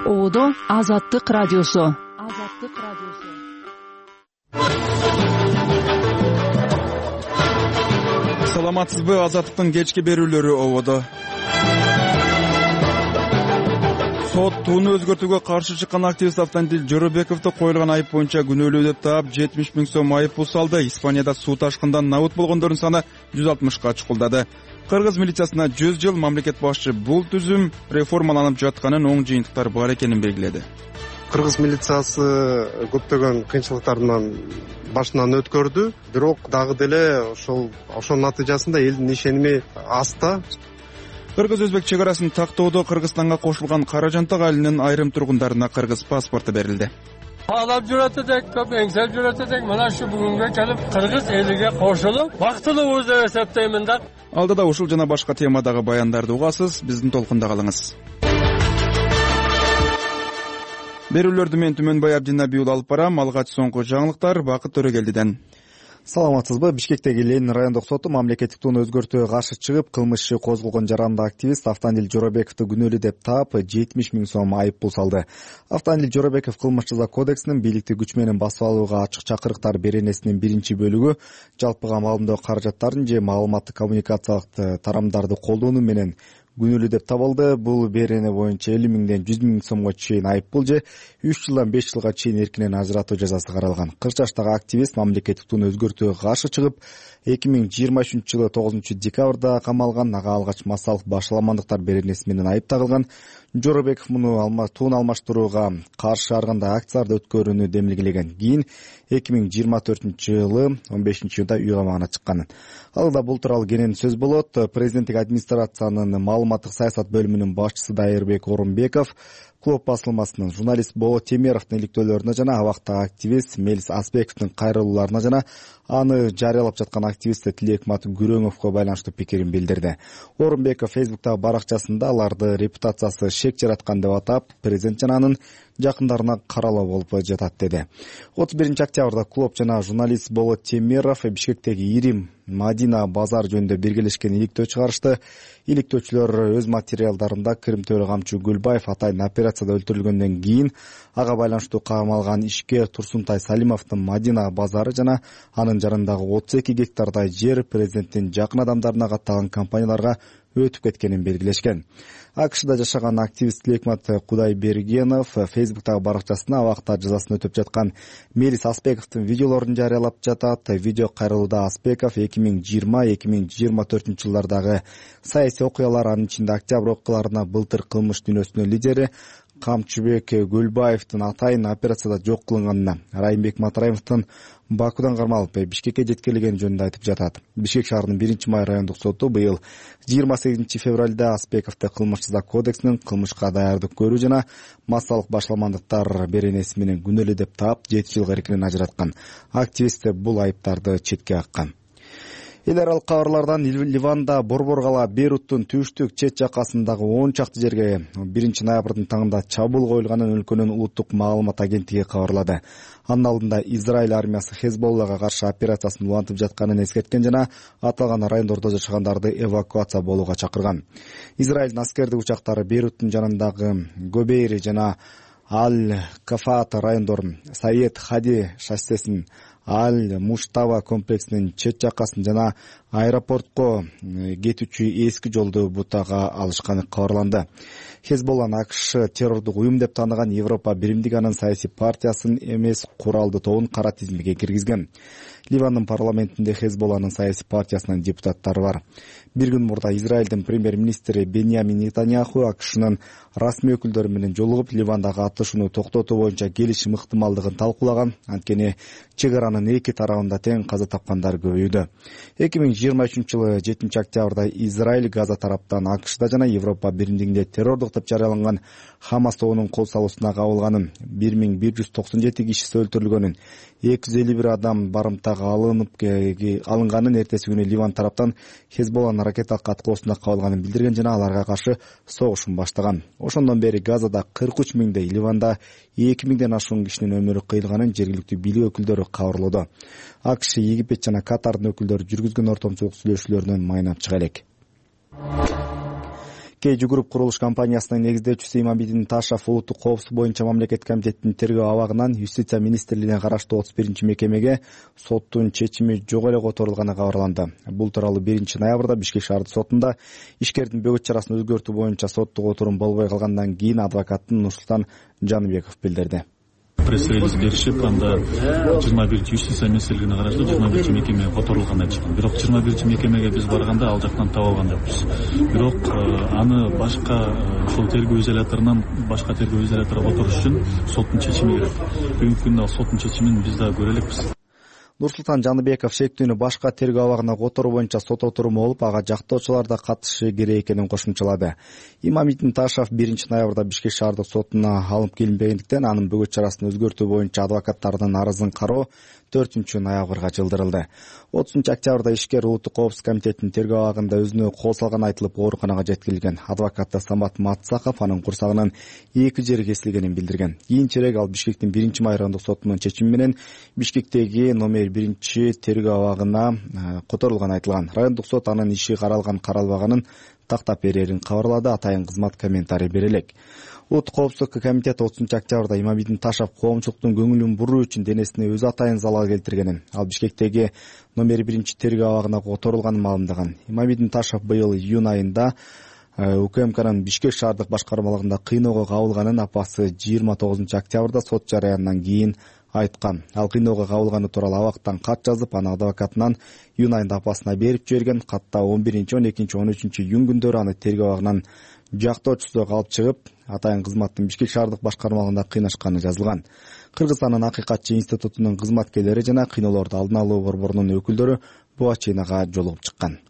Ободо Азаттык радиосу. Саламатсызбы? Азаттыктын кечки берүүлөрү ободо. Сот тууну өзгөртүүгө каршы чыккан активист Автандил Жоробековду коюлган айып боюнча күнөөлүү деп таап 70 000 сом айып пул салды. Испанияда суу ташкындан набыт болгондордун саны 160ка чукулдады. Кыргыз милициясына 100 жыл. Мамлекет башчы бул түзүм реформаланып жатканын, оң жыйынтыктар бар экенин белгиледи. Кыргыз милициясы көптөгөн кыйынчылыктардан башынан өткөрдү, бирок дагы деле ошонун натыйжасында элдин ишеними аз да. Кыргыз-өзбек чек арасын тактоодо Кыргызстанга кошулган Каражантак айылынын айрым тургундарына кыргыз паспорту берилди. Алап жүрөт элек, көп эңсеп жүрөт элек. Мына ушу бүгүнгө келип кыргыз элиге кошулуп, бактылуу деп эсептеймин да. Алдыда ушул жана башка темадагы баяндарды угасыз. Биздин толкунда калыңыз. Берүүлөрдү мен Түмөнбай Абдинабий алып барам. Алгач соңку жаңылыктар Бакыт Төрөгелдиден. Саламатсызбы? Бишкектеги Ленин райондук соту мамлекеттик тууну өзгөртүүгө каршы чыгып, кылмыш иши козголгон жарандык активист Автандил Жоробековду күнөөлүү деп таап 70 000 сом айып пул салды. Автандил Жоробеков кылмыш жаза кодексинин бийликти күч менен басып алууга ачык чакырыктар беренесинин 1-бөлүгү жалпыга маалымдоо каражаттарын же маалыматтык коммуникациялык тарамдарды колдонуу менен күнөөлүү деп табылды. Бул берене боюнча 50 000ден 100 000 сомго чейин айып пул же 3 жылдан 5 жылга чейин эркинен ажыратуу жазасы каралган. 40 жаштагы активист мамлекеттик тууну өзгөртүүгө каршы чыгып, 2023-жылы 9-декабрда камалган. Ага алгач массалык башаламандыктар беренеси менен айып тагылган. Жоробеков муну тууну алмаштырууга каршы ар кандай акцияларды өткөрүүнү демилгелеген. Кийин 2024-жылы 15-июнда үй камагына чыккан. Алда бул тууралуу кенен сөз болот. Президенттик администрациянын маалыматтык саясат бөлүмүнүн башчысы Дайырбек Орунбеков Клуб басылмасынын журналист Болот Темировдун иликтөөлөрүнө жана абактагы активист Мелис Аспековдун кайрылууларына жана аны жарыялап жаткан активист Тилекмат Күрөңовго байланыштуу пикирин билдирди. Орунбеков Фейсбуктагы баракчасында аларды репутациясы шек жараткан деп атап, президент жана анын жакындарына каралуу болуп жатат деди. 31-октябрда клуб жана журналист Болот Темиров Бишкектеги Ирим Мадина базар жөнүндө биргелешкен иликтөө чыгарышты. Иликтөөчүлөр өз материалдарында Кырымтөре камчы Гүлбаев атайын операцияда өлтүрүлгөндөн кийин ага байланыштуу камалган ишке Турсунтай Салимовдун Мадина базары жана анын жанындагы 32 гектардай жер президенттин жакын адамдарына катталган компанияларга өтүп кеткенин белгилешкен. АКШда жашаган активист Тилекмат Кудайбергенов Фейсбуктагы баракчасына абакта жазасын өтөп жаткан Мелис Аспековдун видеолорун жарыялап жатат. Видео кайрылууда Аспеков 2020-2024 жылдардагы саясий окуялар, анын ичинде октябрь окуяларына былтыр кылмыш дүйнөсүнүн лидери Камчыбек Гүлбаевдин атайын операцияда жок кылынганына, Райымбек Матраимовдун Бакудан кармалып Бишкекке жеткирилгени жөнүндө айтып жатат. Бишкек шаарынын 1-май райондук соту быйыл 28 февралда Аспековду кылмыш жаза кодексинин кылмышка даярдык көрүү жана массалык башаламандыктар беренеси менен күнөөлүү деп таап 7 жылга эркинен ажыраткан. Активист бул айыптарды четке каккан. Эл аралык кабарлардан Ливанда Борбор кала Бейруттун түштүк чет жакасындагы 10 чакты жерге 1-ноябрдын таңында чабуул коюлганын өлкөнүн улуттук маалымат агенттиги кабарлады. Анын алдында Израиль армиясы Хезболлага каршы операциясын улантып жатканын эскерткен жана аталган райондордо жашагандарды эвакуация болууга чакырган. Израилдин аскердик учактары Бейруттун жанындагы Гобейри жана Аль-Кафаат райондорун, Саед Хади шоссесин, Аль-Муштава комплексинин чет жакасын жана аэропортко кетүүчү эски жолду бутага алышканы кабарланды. Хезболланы АКШ террордук уюм деп тааныган Европа Биримдиги анын саясий партиясын эмес куралдуу тобун кара тизимге киргизген. Ливандын парламентинде Хезболланын саясий партиясынын депутаттары бар. Bir күн мурда Израилдин премьер-министри Беньямин Нетаньяху АКШнын расмий өкүлдөрү менен жолугуп, Ливандагы атышууну токтотуу боюнча келишим ыктымалдыгын талкуулаган. Анткени чек аранын эки тарабында тең каза тапкандар көбөйдү. 2023-жылы 7-октябрда Израиль Газа тараптан АКШда жана Европа Биримдигинде террордук деп жарыяланган Хамас тобунун кол салуусуна кабылганын, 1197 кишиси өлтүрүлгөнүн, 251 адам барымтага алынганын эртеси күнү Ливан тараптан Хезболланын ракеталык аткылоосуна кабылганын билдирген жана аларга каршы согушун баштаган. Ошондон бери Газада 43 000, Ливанда 2 000ден ашуун кишинин өмүрү кыйылганын жергиликтүү бийлик өкүлдөрү кабарлоодо. АКШ, Египет жана Катардын өкүлдөрү жүргүзгөн ортомчулук сүйлөшүүлөрүнөн майнап чыга элек. Кей Групп курулуш компаниясынын негиздөөчүсү Имамидин Ташев улуттук коопсуздук боюнча мамлекеттик комитеттин тергөө абагынан Юстиция министрлигине караштуу 31-мекемеге соттун чечими жок эле которулганы кабарланды. Бул тууралуу 1-ноябрда Бишкек шаардык сотунда ишкердин бөгөт чарасын өзгөртүү боюнча соттук отурум болбой калгандан кийин адвокаттын Нурсултан Жаныбеков билдирди. Пресс-релиз беришип, анда 21 Юстиция министрлигине караштуу 21 мекеме которулганын айтышкан. Бирок 21 мекемеге биз барганда ал жактан таба алган жокпуз. Бирок аны башка ошол тергөө изоляторунан башка тергөө изоляторуна которуш үчүн соттун чечими керек. Бүгүнкү күндө ал соттун чечимин биз да көрө элекпиз. Нурсултан Жаныбеков шектүүнү башка тергөө абагына которуу боюнча сот отуруму болуп, ага жактоочулар да катышы керек экенин кошумчалады. Имамидин Ташев 1-ноябрда Бишкек шаардык сотуна алынып келинбегендиктен анын бөгөт чарасын өзгөртүү боюнча адвокаттардын арызын кароо 4-ноябрга жылдырылды. 30-октябрда ишкер улуттук коопсуздук комитетинин тергөө абагында өзүнө кол салганы айтылып ооруканага жеткирилген. Адвокаты Самат Матсаков анын курсагынын 2 жери кесилгенин билдирген. Кийинчерээк ал Бишкектин 1-май райондук сотунун чечими менен Бишкектеги номер 1 тергөө абагына которулганы айтылган. Райондук сот анын иши каралган каралбаганын тактап берерин кабарлады. Атайын кызмат комментарий бере элек. Улуттук коопсуздук комитети 30-октябрда Имамидин Ташев коомчулуктун көңүлүн буруу үчүн денесине өзү атайын залал келтиргенин, ал Бишкектеги номер 1 тергөө абагына которулганын маалымдаган. Имамидин Ташев быйыл июнь айында УКМКнын Бишкек шаардык башкармалыгында кыйноого кабылганын апасы 29-октябрда сот жарыяндан кийин айткан. Ал кыйноого кабылганы тууралуу абактан кат жазып, аны адвокатынан июнь айында апасына берип жиберген. Катта 11, 12, 13 июнь күндөрү аны тергөө абагынан жактоочусу алып чыгып, атайын кызматтын Бишкек шаардык башкармалыгында кыйнашканы жазылган. Кыргызстандын Акыйкатчы институтунун кызматкерлери жана кыйноолорду алдын алуу борборунун өкүлдөрү буга чыйнага жолугуп чыккан.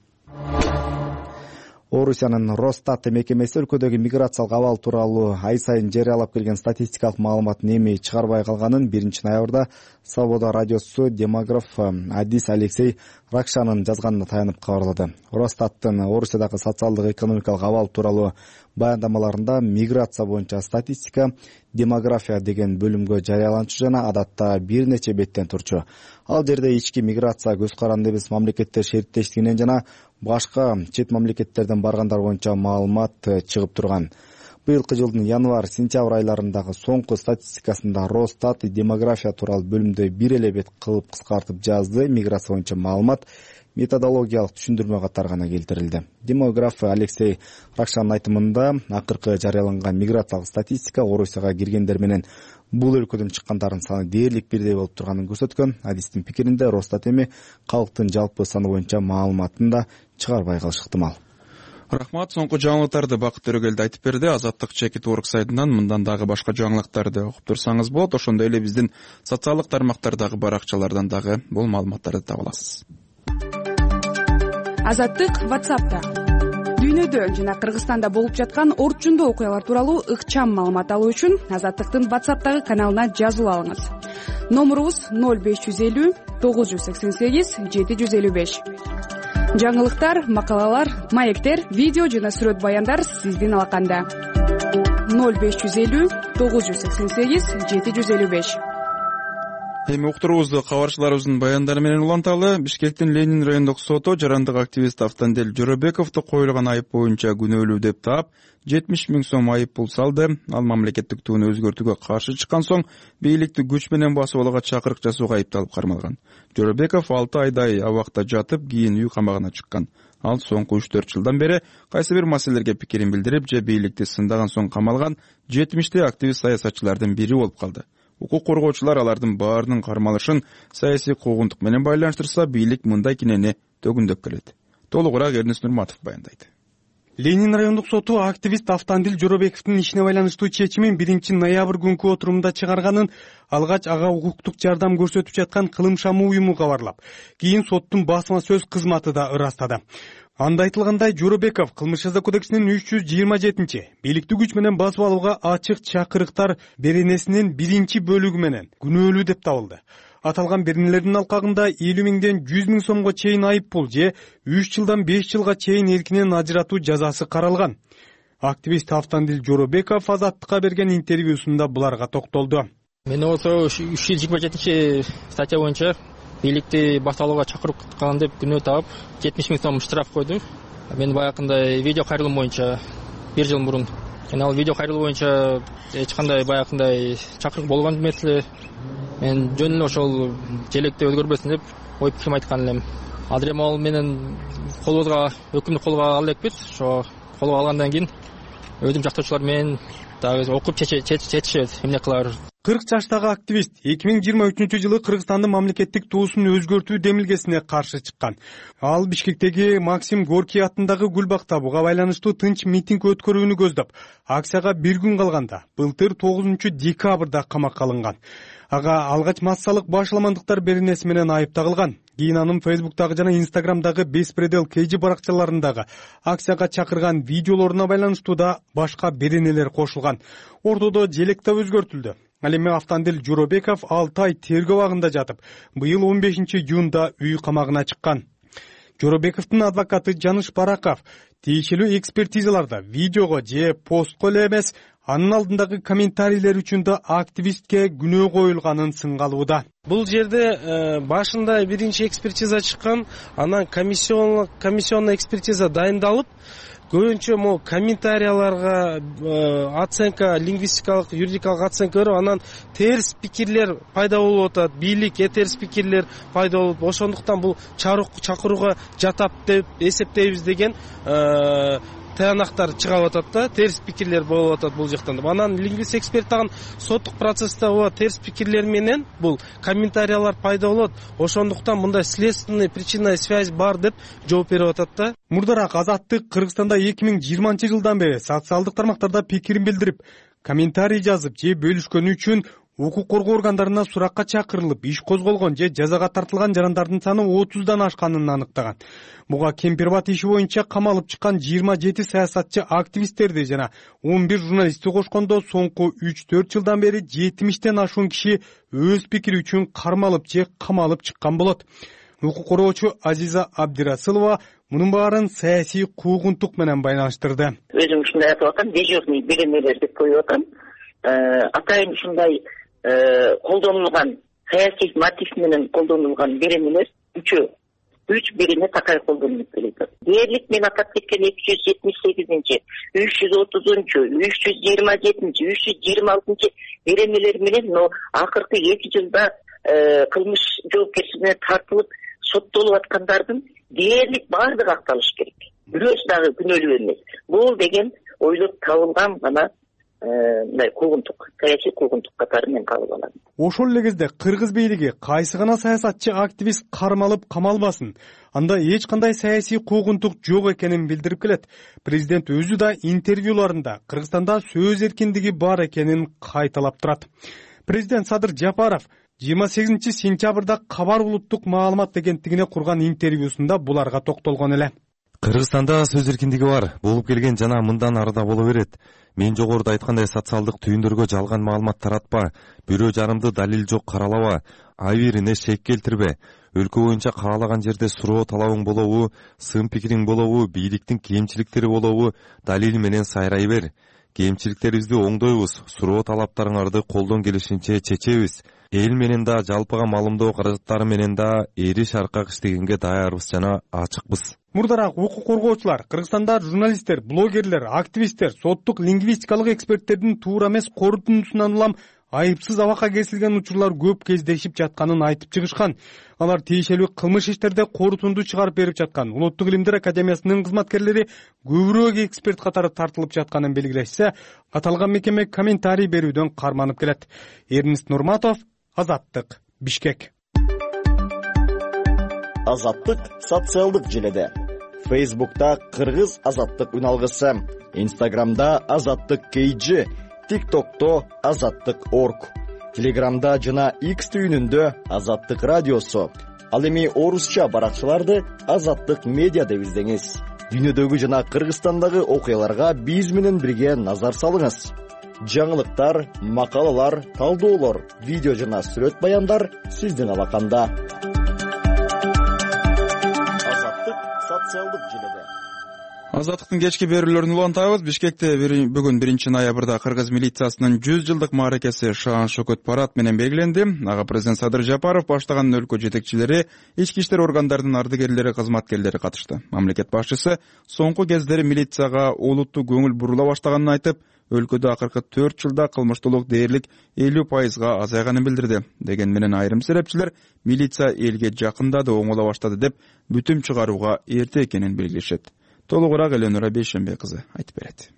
Орусиянын Росстат мекемеси өлкөдөгү миграциялык абал тууралуу ай сайын жарыялап келген статистикалык маалыматын эми чыгарбай калганын 1-ноябрда Свобода радиосу демограф Адис Алексей Ракшанын жазганына таянып кабарлады. Росстаттын Орусиядагы социалдык экономикалык абал тууралуу баяндамаларында миграция боюнча статистика, демография деген бөлүмгө жарыяланчу жана адатта бир нече беттен турчу. Ал жерде ички миграция көз каранды эмес мамлекеттер шериктештигинен жана башка чет мамлекеттерден баргандар боюнча маалымат чыгып турган. Быйылкы жылдын январь-сентябрь айларындагы соңку статистикасында Росстат демография тууралуу бөлүмдө бир эле бет кылып кыскартып жазды. Миграция боюнча маалымат методологиялык түшүндүрмө катары гана келтирилди. Демограф Алексей Ракшанын айтымында акыркы жарыяланган миграциялык статистика Орусияга киргендер менен бул өлкөдөн чыккандардын саны дээрлик бирдей болуп турганын көрсөткөн. Адистин пикиринде Росстат эми калктын жалпы саны боюнча маалыматын да чыгарбай калышы ыктымал. Рахмат, соңку жаңылыктарды Бакыт Төрөгелди айтып берди. Азаттык Чекит Орг сайтынан мындан дагы башка жаңылыктарды окуп турсаңыз болот. Ошондой эле биздин социалдык тармактардагы баракчалардан дагы бул маалыматтарды таба аласыз. Азаттык WhatsApp'та дүйнөдө жана Кыргызстанда болуп жаткан орчундуу окуялар тууралуу ыкчам маалымат алуу үчүн Азаттыктын WhatsApp'тагы каналына жазылып алыңыз. Номурубуз 0550 988 755. Жаңылыктар, макалалар, маектер, видео жана сүрөт баяндар сиздин алаканда. 0550 988 755. Эми уктуруубузду кабарчыларыбыздын баяндары менен уланталы. Бишкектин Ленин райондук соту жарандык активист Автандел Жоробековду коюлган айып боюнча күнөөлүү деп таап 70 000 сом айып пул салды. Ал мамлекеттик туууну өзгөртүүгө каршы чыккан соң бийликти күч менен басып алууга чакырык жасоого айыпталып кармалган. Жоробеков 6 айдай абакта жатып, кийин үй камагына чыккан. Ал соңку 3-4 жылдан бери кайсы бир маселелерге пикирин билдирип, же бийликти сындаган соң камалган 70 активист саясатчылардын бири болуп калды. Укук коргоочулар алардын баарынын кармалышын саясий куугунтук менен байланыштырса, бийлик мындай кинени төгүндөп келет. Толугураак Эрнис Нурматов баяндайт. Ленин райондук соту активист Автандил Жоробековдун ишине байланыштуу чечимин 1-ноябрь күнкү отурумда чыгарганын алгач ага укуктук жардам көрсөтүп жаткан Кылым Шамы уюму кабарлап, кийин соттун басма сөз кызматы да ырастады. Анда айтылгандай, Жоробеков Кылмыш жаза кодексинин 327 бийликти күч менен басып алууга ачык чакырыктар беренесинин 1-бөлүгү менен күнөөлүү деп табылды. Аталган беренелердин алкагында 50 000ден 100 000 сомго чейин айып пул же 3 жылдан 5 жылга чейин эркинен ажыратуу жазасы каралган. Активист Автандил Жоробеков Азаттыкка берген интервьюсунда буларга токтолду. Мен ошо 327 статья боюнча бийликти басып алууга чакырып калган деп күнөө таап 70 000 сом штраф койду. Мен баягындай видео кайрылым боюнча бир жыл мурун. Ал видео кайрылуу боюнча эч кандай баягындай чакырык болгон эмес эле. Мен жөн эле ошол желекти өзгөрбөсүн деп ой пикирим айткан элем. Азыр эми ал менен колубузга өкүмдү колго ала элекпиз. Ошо колго алгандан кийин өзүм жактоочулар менен дагы окуп чечишебиз эмне кылабыз. 40 жаштагы активист 2023-жылы Кыргызстандын мамлекеттик туусун өзгөртүү демилгесине каршы чыккан. Ал Бишкектеги Максим Горький атындагы гүл бакта буга байланыштуу тынч митинг өткөрүүнү көздөп, акцияга бир күн калганда былтыр 9-декабрда камакка алынган. Ага алгач массалык башаламандыктар беренеси менен айып тагылган. Кийин анын Фейсбуктагы жана Инстаграмдагы Беспредел KG баракчаларындагы акцияга чакырган видеолоруна байланыштуу да башка беренелер кошулган. Ортодо желек да өзгөртүлдү. Ал эми Автандил Жоробеков 6 ай тергөө абагында жатып, быйыл 15-июнда үй камагына чыккан. Жоробековдун адвокаты Жаныш Бараков тиешелүү экспертизаларда видеого же постко эле эмес, анын алдындагы комментарийлер үчүн да активистке күнөө коюлганын сынгалууда. Бул жерде башында биринчи экспертиза чыккан, анан комиссионный экспертиза дайындалып, көбүнчө могу комментарияларга оценка, лингвистикалык, юридикалык оценка берип, анан терс пикирлер пайда болуп атат, бийлик терс пикирлер пайда болуп, ошондуктан бул чакырууга жатат деп эсептейбиз деген таянактар чыгып атат да, терс пикирлер болуп атат бул жактан. Анан лингвист эксперт дагы соттук процессте терс пикирлер менен бул комментариялар пайда болот. Ошондуктан мындай следственный причинная связь бар деп жооп берип атат да. Мурдараак Азаттык Кыргызстанда 2020-жылдан бери социалдык тармактарда пикирин билдирип, комментарий жазып же бөлүшкөнү үчүн укук коргоо органдарына суракка чакырылып, иш козголгон же жазага тартылган жарандардын саны 30дан ашканын аныктаган. Буга Кемпирбат иши боюнча камалып чыккан 27 саясатчы активисттерди жана 11 журналистти кошкондо соңку 3-4 жылдан бери 70тен ашуун киши өз пикири үчүн кармалып же камалып чыккан болот. Укук коргоочу Азиза Абдирасылова мунун баарын саясий куугунтук менен байланыштырды. Өзүм ушундай айтып атам, дежурный беренелер деп коюп атам. Атайын ушундай колдонулган саясий мотив менен колдонулган беренелер үч берене такай колдонулуп келет. Дээрлик мен атап кеткен 278-330-327, 326 беренелер менен акыркы 2 жылда кылмыш жоопкерчилигине тартылып соттолуп аткандардын дээрлик баардыгы акталыш керек. Бирөөсү дагы күнөөлүү эмес. Бул деген ойлоп табылган гана мындай куугунтук, саясий куугунтук катары мен кабыл алам. Ошол эле кезде кыргыз бийлиги кайсы гана саясатчы активист кармалып камалбасын, анда эч кандай саясий куугунтук жок экенин билдирип келет. Президент өзү да интервьюларында Кыргызстанда сөз эркиндиги бар экенин кайталап турат. Президент Садыр Жапаров 28-сентябрда Кабар улуттук маалымат агенттигине курган интервьюсунда буларга токтолгон эле. Кыргызстанда сөз эркиндиги бар, болуп келген жана мындан арыда боло берет. Мен жогоруда айткандай социалдык түйүндөргө жалган маалымат таратпа, бирөө жарымды далил жок каралаба, абийирине шек келтирбе. Өлкө боюнча каалаган жерде суроо талабың болобу, сын пикириң болобу, бийликтин кемчиликтери болобу, далил менен сайрай бер. Кемчиликтерибизди оңдойбуз, суроо талаптарыңарды колдон келишинче чечебиз. Эл менен да, жалпыга маалымдоо каражаттары менен да эриш аркак иштегенге даярбыз жана ачыкпыз. Мурдараак укук коргоочулар Кыргызстанда журналисттер, блогерлер, активисттер, соттук лингвистикалык эксперттердин туура эмес корутундусунан улам айыпсыз абакка кесилген учурлар көп кездешип жатканын айтып чыгышкан. Алар тиешелүү кылмыш иштерде корутунду чыгарып берип жаткан Улуттук илимдер академиясынын кызматкерлери көбүрөөк эксперт катары тартылып жатканын белгилешсе, аталган мекеме комментарий берүүдөн карманып келет. Эрнест Нурматов, Азаттык, Бишкек. Азаттык социалдык желеде. Фейсбукта Кыргыз Азаттык үналгысы, Инстаграмда Азаттык KG, ТикТокто Азаттык.org, Телеграмда жана X түйүнүндө Азаттык радиосу. Ал эми орусча баракчаларды Азаттык медиа деп издеңиз. Дүйнөдөгү жана Кыргызстандагы окуяларга биз менен бирге назар салыңыз. Жаңылыктар, макалалар, талдоолор, видео жана сүрөт баяндар сиздин алаканда. Азаттык социалдык желеде. Азаттыктын кечки берүүлөрүн улантабыз. Бишкекте бүгүн 1-ноябрда кыргыз милициясынын 100 жылдык мааракеси шаан шөкөт парад менен белгиленди. Ага президент Садыр Жапаров баштаган өлкө жетекчилери, ички иштер органдарынын ардыгерлери, кызматкерлери катышты. Мамлекет башчысы соңку кездери милицияга олуттуу көңүл бурула баштаганын айтып, өлкөдө акыркы 4 жылда кылмыштуулук дээрлик 50% азайганын билдирди. Деген менен айрым серепчилер милиция элге жакындады, оңоло баштады деп бүтүм чыгарууга эрте экенин белгилешет. Толугураак Эленора Бейшембек кызы айтып берет.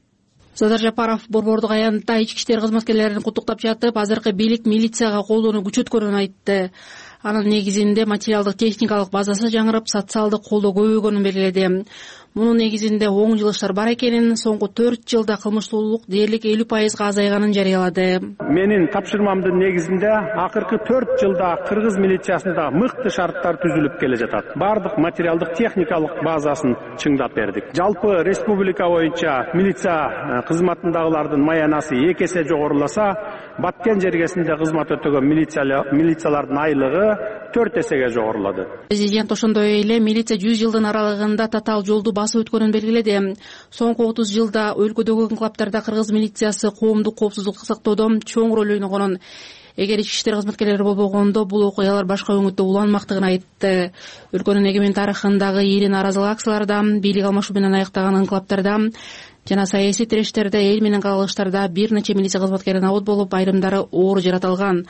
Садыр Жапаров борбордук аянтта ички иштер кызматкерлерин куттуктап жатып, азыркы бийлик милицияга колдоону күчөткөнүн айтты. Анын негизинде материалдык техникалык базасы жаңырып, социалдык колдоо көбөйгөнүн белгиледи. Мунун негизинде оң жылыштар бар экенин, соңку 4 жылда кылмыштуулук дээрлик 50% азайганын жарыялады. Менин тапшырмамдын негизинде акыркы 4 жылда кыргыз милициясында мыкты шарттар түзүлүп келе жатат. Бардык материалдык техникалык базасын чыңдап бердик. Жалпы республика боюнча милиция кызматындагылардын маянасы 2 эсе жогоруласа, Баткен жергесинде кызмат өтөгөн милициялардын айлыгы 4 эсеге жогорулады. Президент ошондой эле милиция 100 жылдын аралыгында татаал жолду басып өткөнүн белгиледи. Соңку 30 жылда өлкөдөгү инкылаптарда кыргыз милициясы коомдук коопсуздукту сактоодо чоң роль ойногонун, эгер ички иштер кызматкерлери болбогондо бул окуялар башка өңүттө уланмактыгын айтты. Өлкөнүн эгемен тарыхындагы ири нааразылык акцияларда, бийлик алмашуу менен аяктаган инкылаптарда жана саясий тирештерде, эл менен кагылыштарда бир нече милиция кызматкери набыт болуп, айрымдары оор жаратылган.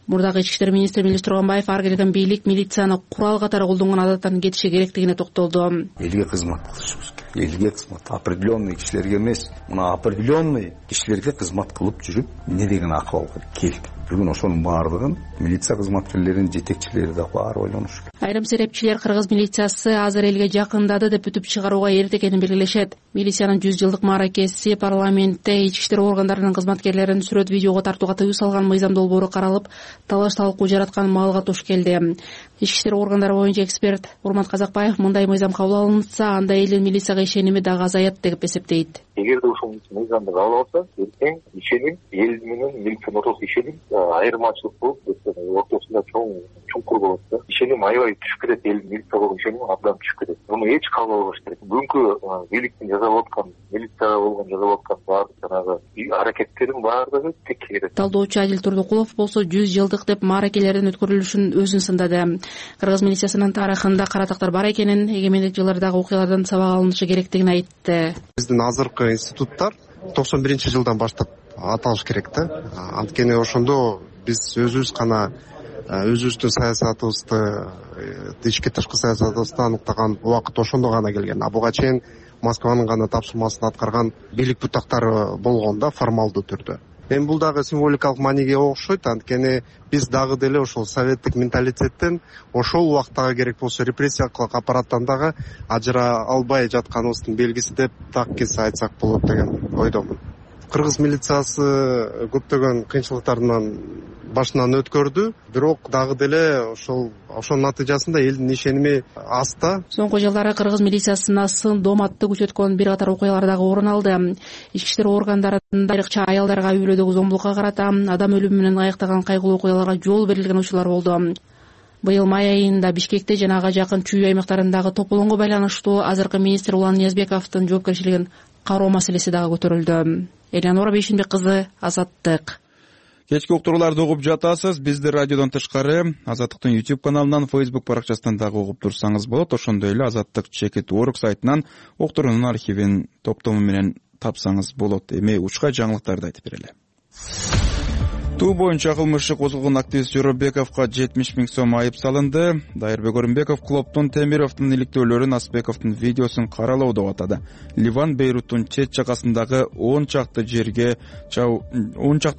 Мурдагы ички иштер министри Мелис Турганбаев ар келген бийлик милицияны курал катары колдонгон адаттан кетиши керектигине токтолду. Элге кызмат кылышыбыз керек. Элге кызмат, определенный кишилерге эмес, мына определенный кишилерге кызмат кылып жүрүп, эмне деген акыбалга келди. Бүгүн ошонун баардыгын милиция кызматкерлеринин жетекчилери да баары ойлонуш керек. Айрым серепчилер кыргыз милициясы азыр элге жакындады деп бүтүп чыгарууга эрте экенин белгилешет. Милициянын 100 жылдык мааракеси парламентте ички иштер органдарынын кызматкерлерин сүрөт видеого тартууга тыюу салган мыйзам долбоору каралып, талаш талкуу жараткан маалга туш келди. Ички иштер органдары боюнча эксперт Урмат Казакбаев мындай мыйзам кабыл алынса, анда элдин милицияга ишеними дагы азаят деп эсептейт. Эгерде ушул мыйзамды кабыл алса, эртең ишеним эл менен милициянын ортосунда ишеним айырмачылык болуп, ортосунда чуңкур болот да. Ишеним аябай түшүп кетет, эл милиция болгон ишеним абдан түшүп кетет. Муну эч кабыл албаш керек. Бүгүнкү бийликтин жасап аткан, милицияга болгон жасап аткан баардык жанагы аракеттердин баардыгы тек керек. Талдоочу Адил Турдукулов болсо 100 жылдык деп мааракелердин өткөрүлүшүн өзүн сындады. Кыргыз милициясынын тарыхында кара тактар бар экенин, эгемендик жылдардагы окуялардан сабак алынышы керектигин айтты. Биздин азыркы институттар 91-жылдан баштап аталыш керек да. Анткени ошондо биз өзүбүз гана өзүбүздүн саясатыбызды, ички тышкы саясатыбызды аныктаган убакыт ошондо гана келген. Буга чейин Москванын гана тапшырмасын аткарган бийлик бутактары болгон да формалдуу түрдө. Эми бул дагы символикалык мааниге окшойт, анткени биз дагы деле ошол советтик менталитеттен ошол убактага керек болсо репрессиялык аппараттан дагы ажыра албай жатканыбыздын белгиси деп так кесе айтсак болот деген ойдомун. Кыргыз милициясы көптөгөн кыйынчылыктардан башынан өткөрдү, бирок дагы деле ошонун натыйжасында элдин ишеними аз да. Соңку жылдары кыргыз милициясына сын доматты күчөткөн бир катар окуялар дагы орун алды. Ички иштер органдарында айрыкча аялдарга үй бүлөдөгү зомбулукка карата, адам өлүмү менен аяктаган кайгылуу окуяларга жол берилген учурлар болду. Быйыл май айында Бишкекте жана ага жакын чүй аймактарындагы тополоңго байланыштуу азыркы министр Улан Ниязбековдун жоопкерчилигин кароо маселеси дагы көтөрүлдү. Эленора Бейшембек кызы, Азаттык. Кечки уктурууларды угуп жатасыз. Бизди радиодон тышкары Азаттыктын YouTube каналынан, Facebook баракчасынан дагы угуп турсаңыз болот. Ошондой эле Азаттык.org сайтынан уктуруунун архивин топтому менен тапсаңыз болот. Эми учка жаңылыктарды айтып берели. Туу боюнча кылмыш козголгон активист Жоробековго 70 000 сом айып салынды. Дайырбек Орунбеков Клоптун Темировдун иликтөөлөрүн, Асбековдун видеосун каралоо деп атады. Ливан Бейруттун чет жакасындагы 10 чакты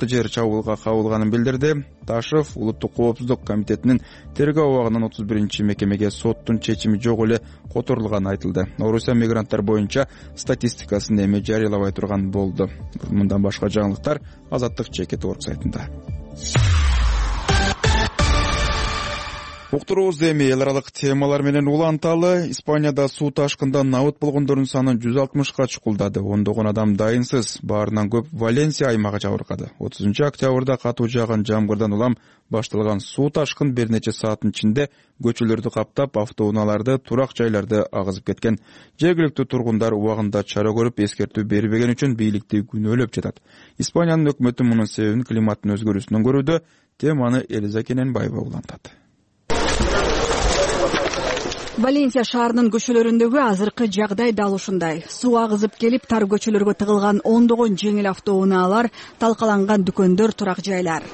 жер чабуулга кабылганын билдирди. Ташев Улуттук коопсуздук комитетинин тергөө абагынан 31-мекемеге соттун чечими жок эле которулганы айтылды. Орусия мигранттар боюнча статистикасын эми жарыялабай турган болду. Мындан башка жаңылыктар Азаттык.org сайтында. Уктуруубуз эми эл аралык темалар менен уланталы. Испанияда суу ташкындан набыт болгондордун саны 160ка чукулдады. Ондогон адам дайынсыз. Баарынан көп Валенсия аймагы жабыркады. 30 октябрда катуу жааган жамгырдан улам башталган суу ташкын бир нече сааттын ичинде көчөлөрдү каптап, автоунааларды, турак жайларды агызып кеткен. Жергиликтүү тургундар убагында чара көрүп, эскертүү бербеген үчүн бийликти күнөөлөп жатат. Испаниянын өкмөтү мунун себебин климаттын өзгөрүүсүнөн көрүүдө. Теманы Элиза Кененбаева улантат. Валенсия шаарынын көчөлөрүндөгү азыркы жагдай дал ушундай. Суу агызып келип, тар көчөлөргө тыгылган ондогон жеңил автоунаалар, талкаланган дүкөндөр, турак жайлар.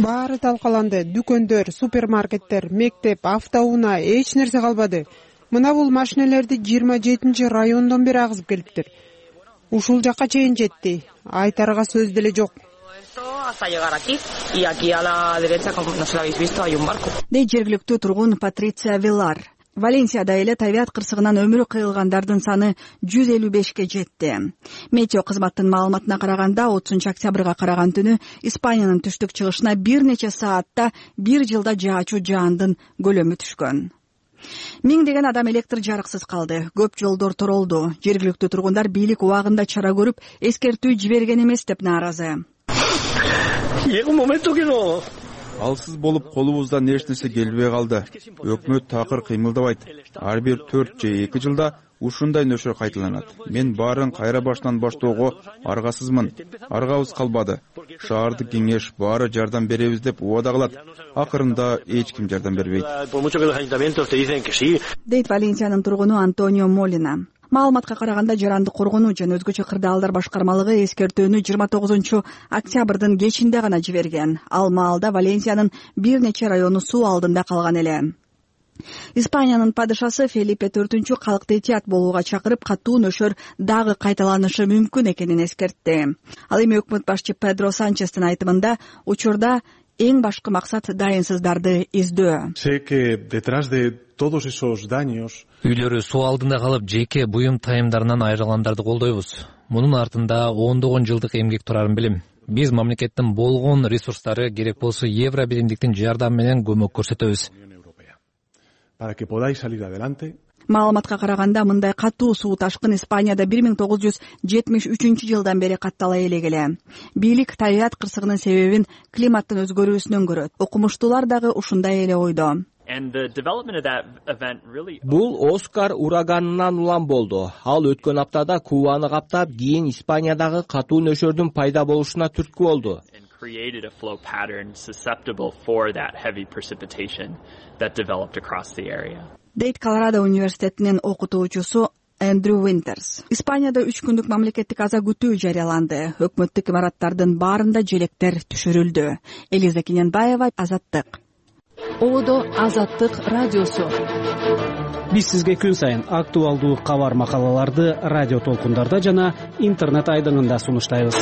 Баары талкаланды. Дүкөндөр, супермаркеттер, мектеп, автоунаа, эч нерсе калбады. Мына бул машинелерди 27 райондон бери агызып келиптир. Ушул жакка чейин жетти. Айтарга сөз деле жок. Дейт жергиликтүү тургун Патриция Вилар. Валенсияда эле табият кырсыгынан өмүрү кыйылгандардын саны 155ке жетти. Метео кызматтын маалыматына караганда 30 октябрга караган түнү Испаниянын түштүк чыгышына бир нече саатта бир жылда жаачу жаандын көлөмү түшкөн. Миңдеген адам электр жарыксыз калды. Көп жолдор торолду. Жергиликтүү тургундар бийлик убагында чара көрүп, эскертүү жиберген эмес деп нааразы. Алсыз болуп колубуздан эч нерсе келбей калды. Өкмөт такыр кыймылдабайт. Ар бир 4 же 2 жылда ушундай нөшөр кайталанат. Мен баарын кайра баштан баштоого аргасызмын. Аргабыз калбады. Шаардык кеңеш баары жардам беребиз деп убада кылат. Акырында эч ким жардам бербейт. Дейт Валенсиянын тургуну Антонио Молина. Маалыматка караганда жарандык коргонуу жана өзгөчө кырдаалдар башкармалыгы эскертүүнү 29 октябрдын кечинде гана жиберген. Ал маалда Валенсиянын бир нече району суу алдында калган эле. Испаниянын падышасы Фелипе IV калкты этият болууга чакырып, катуу нөшөр дагы кайталанышы мүмкүн экенин эскертти. Ал эми өкмөт башчы Педро Санчестин айтымында учурда эң башкы максат дайынсыздарды издөө. Үйлөрү суу алдында калып, жеке буюм тайымдарынан айрылгандарды колдойбуз. Мунун артында ондогон жылдык эмгек турарын билем. Биз мамлекеттин болгон ресурстары, керек болсо евро биримдиктин жардамы менен көмөк көрсөтөбүз. Маалыматка караганда мындай катуу суу ташкын Испанияда 1973 жылдан бери каттала элегеле. Бийлик табият кырсыгынын себебин климаттын өзгөрүүсүнөн көрөт. Окумуштуулар дагы ушундай эле ойдо. Бул Оскар ураганынан улам болду. Ал өткөн аптада Кубаны каптап, кийин Испаниядагы катуу нөшөрдүн пайда болушуна түрткү болду. Дейт Колорадо университетинин окутуучусу Эндрю Винтерс. Испанияда 3 күндүк мамлекеттик аза күтүү жарыяланды. Өкмөттүк имараттардын баарында желектер түшүрүлдү. Элиза Кененбаева, Азаттык. Одо Азаттык радиосу. Биз сизге күн сайын актуалдуу кабар макалаларды радио толкундарда жана интернет айдыңында сунуштайбыз.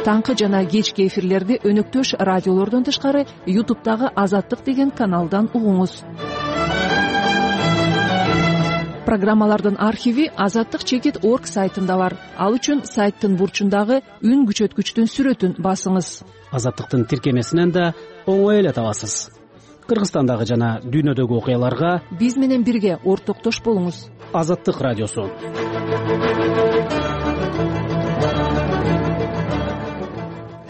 Таңкы жана кечки эфирлерди өнөктөш радиолордон тышкары YouTube'дагы Азаттык деген каналдан угуңуз. Программалардын архиви azattik.org сайтында бар. Ал үчүн сайттын бурчундагы үн күчөткүчтүн сүрөтүн басыңыз. Азаттыктын тиркемесинен да оңой эле табасыз. Кыргызстандагы жана дүйнөдөгү окуяларга биз менен бирге ортоктош болуңуз. Азаттык радиосу.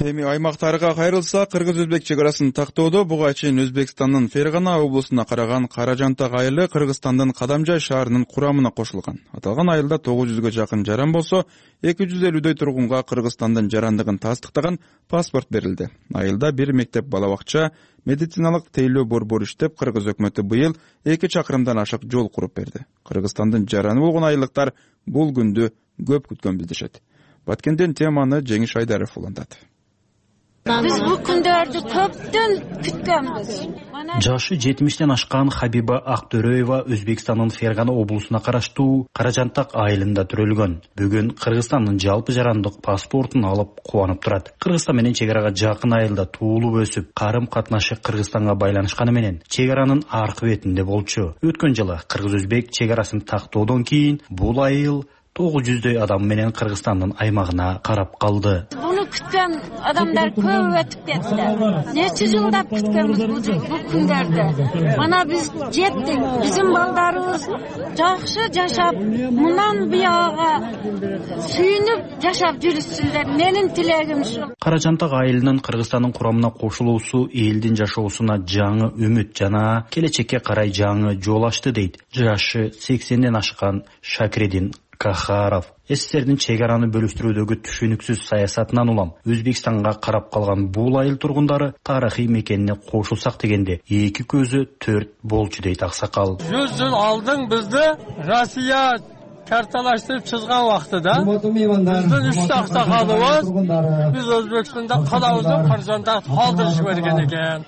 Эми аймактарга кайрылса, кыргыз-өзбек чек арасын тактоодо буга чейин Өзбекстандын Фергана облусуна караган Каражантак айылы Кыргызстандын Кадамжай шаарынын курамына кошулган. Аталган айылда 900гө жакын жаран болсо, 250дөй тургунга Кыргызстандын жарандыгын тастыктаган паспорт берилди. Айылда бир мектеп, бала бакча, медициналык тейлөө борбору иштеп, кыргыз өкмөтү быйыл 2 чакырымдан ашык жол куруп берди. Кыргызстандын жараны болгон айылдыктар бул күндү көп күткөн билдиришет. Баткенден теманы Жеңиш Айдаров улантат. Биз бул күндөрдү көптөн күткөнбүз. Жашы 70тен ашкан Хабиба Актөрөева Өзбекстандын Фергана облусуна караштуу Каражантак айылында төрөлгөн. Бүгүн Кыргызстандын жалпы жарандык паспортун алып кубанып турат. Кыргызстан менен чек арага жакын айылда туулуп өсүп, карым катнашы Кыргызстанга байланышканы менен чек аранын аркы бетинде болчу. Өткөн жылы кыргыз-өзбек чек арасын тактоодон кийин бул айыл 900дөй адам менен Кыргызстандын аймагына карап калды. Буну күткөн адамдар көп өтүп кетти. Нече жылдап күткөнбүз бул күндөрдү. Мана биз жеттик. Биздин балдарыбыз жакшы жашап, мындан буяга сүйүнүп жашап жүрүшсүндөр. Менин тилегим ушу. Каражантак айылынын Кыргызстандын курамына кошулуусу элдин жашоосуна жаңы үмүт жана келечекке карай жаңы жол ачты дейт жашы 80ден ашкан Шакиридин Кахаров. СССРдин чек араны бөлүштүрүүдөгү түшүнүксүз саясатынан улам Өзбекстанга карап калган бул айыл тургундары тарыхый мекенине кошулсак дегенде эки көзү төрт болчу дейт аксакал. 100 жыл алдың бизди Россия карталаштырып чызган убактыда биздин 3 аксакалыбыз биз Өзбекстанда калабызды Каражантакты калтырышып берген экен.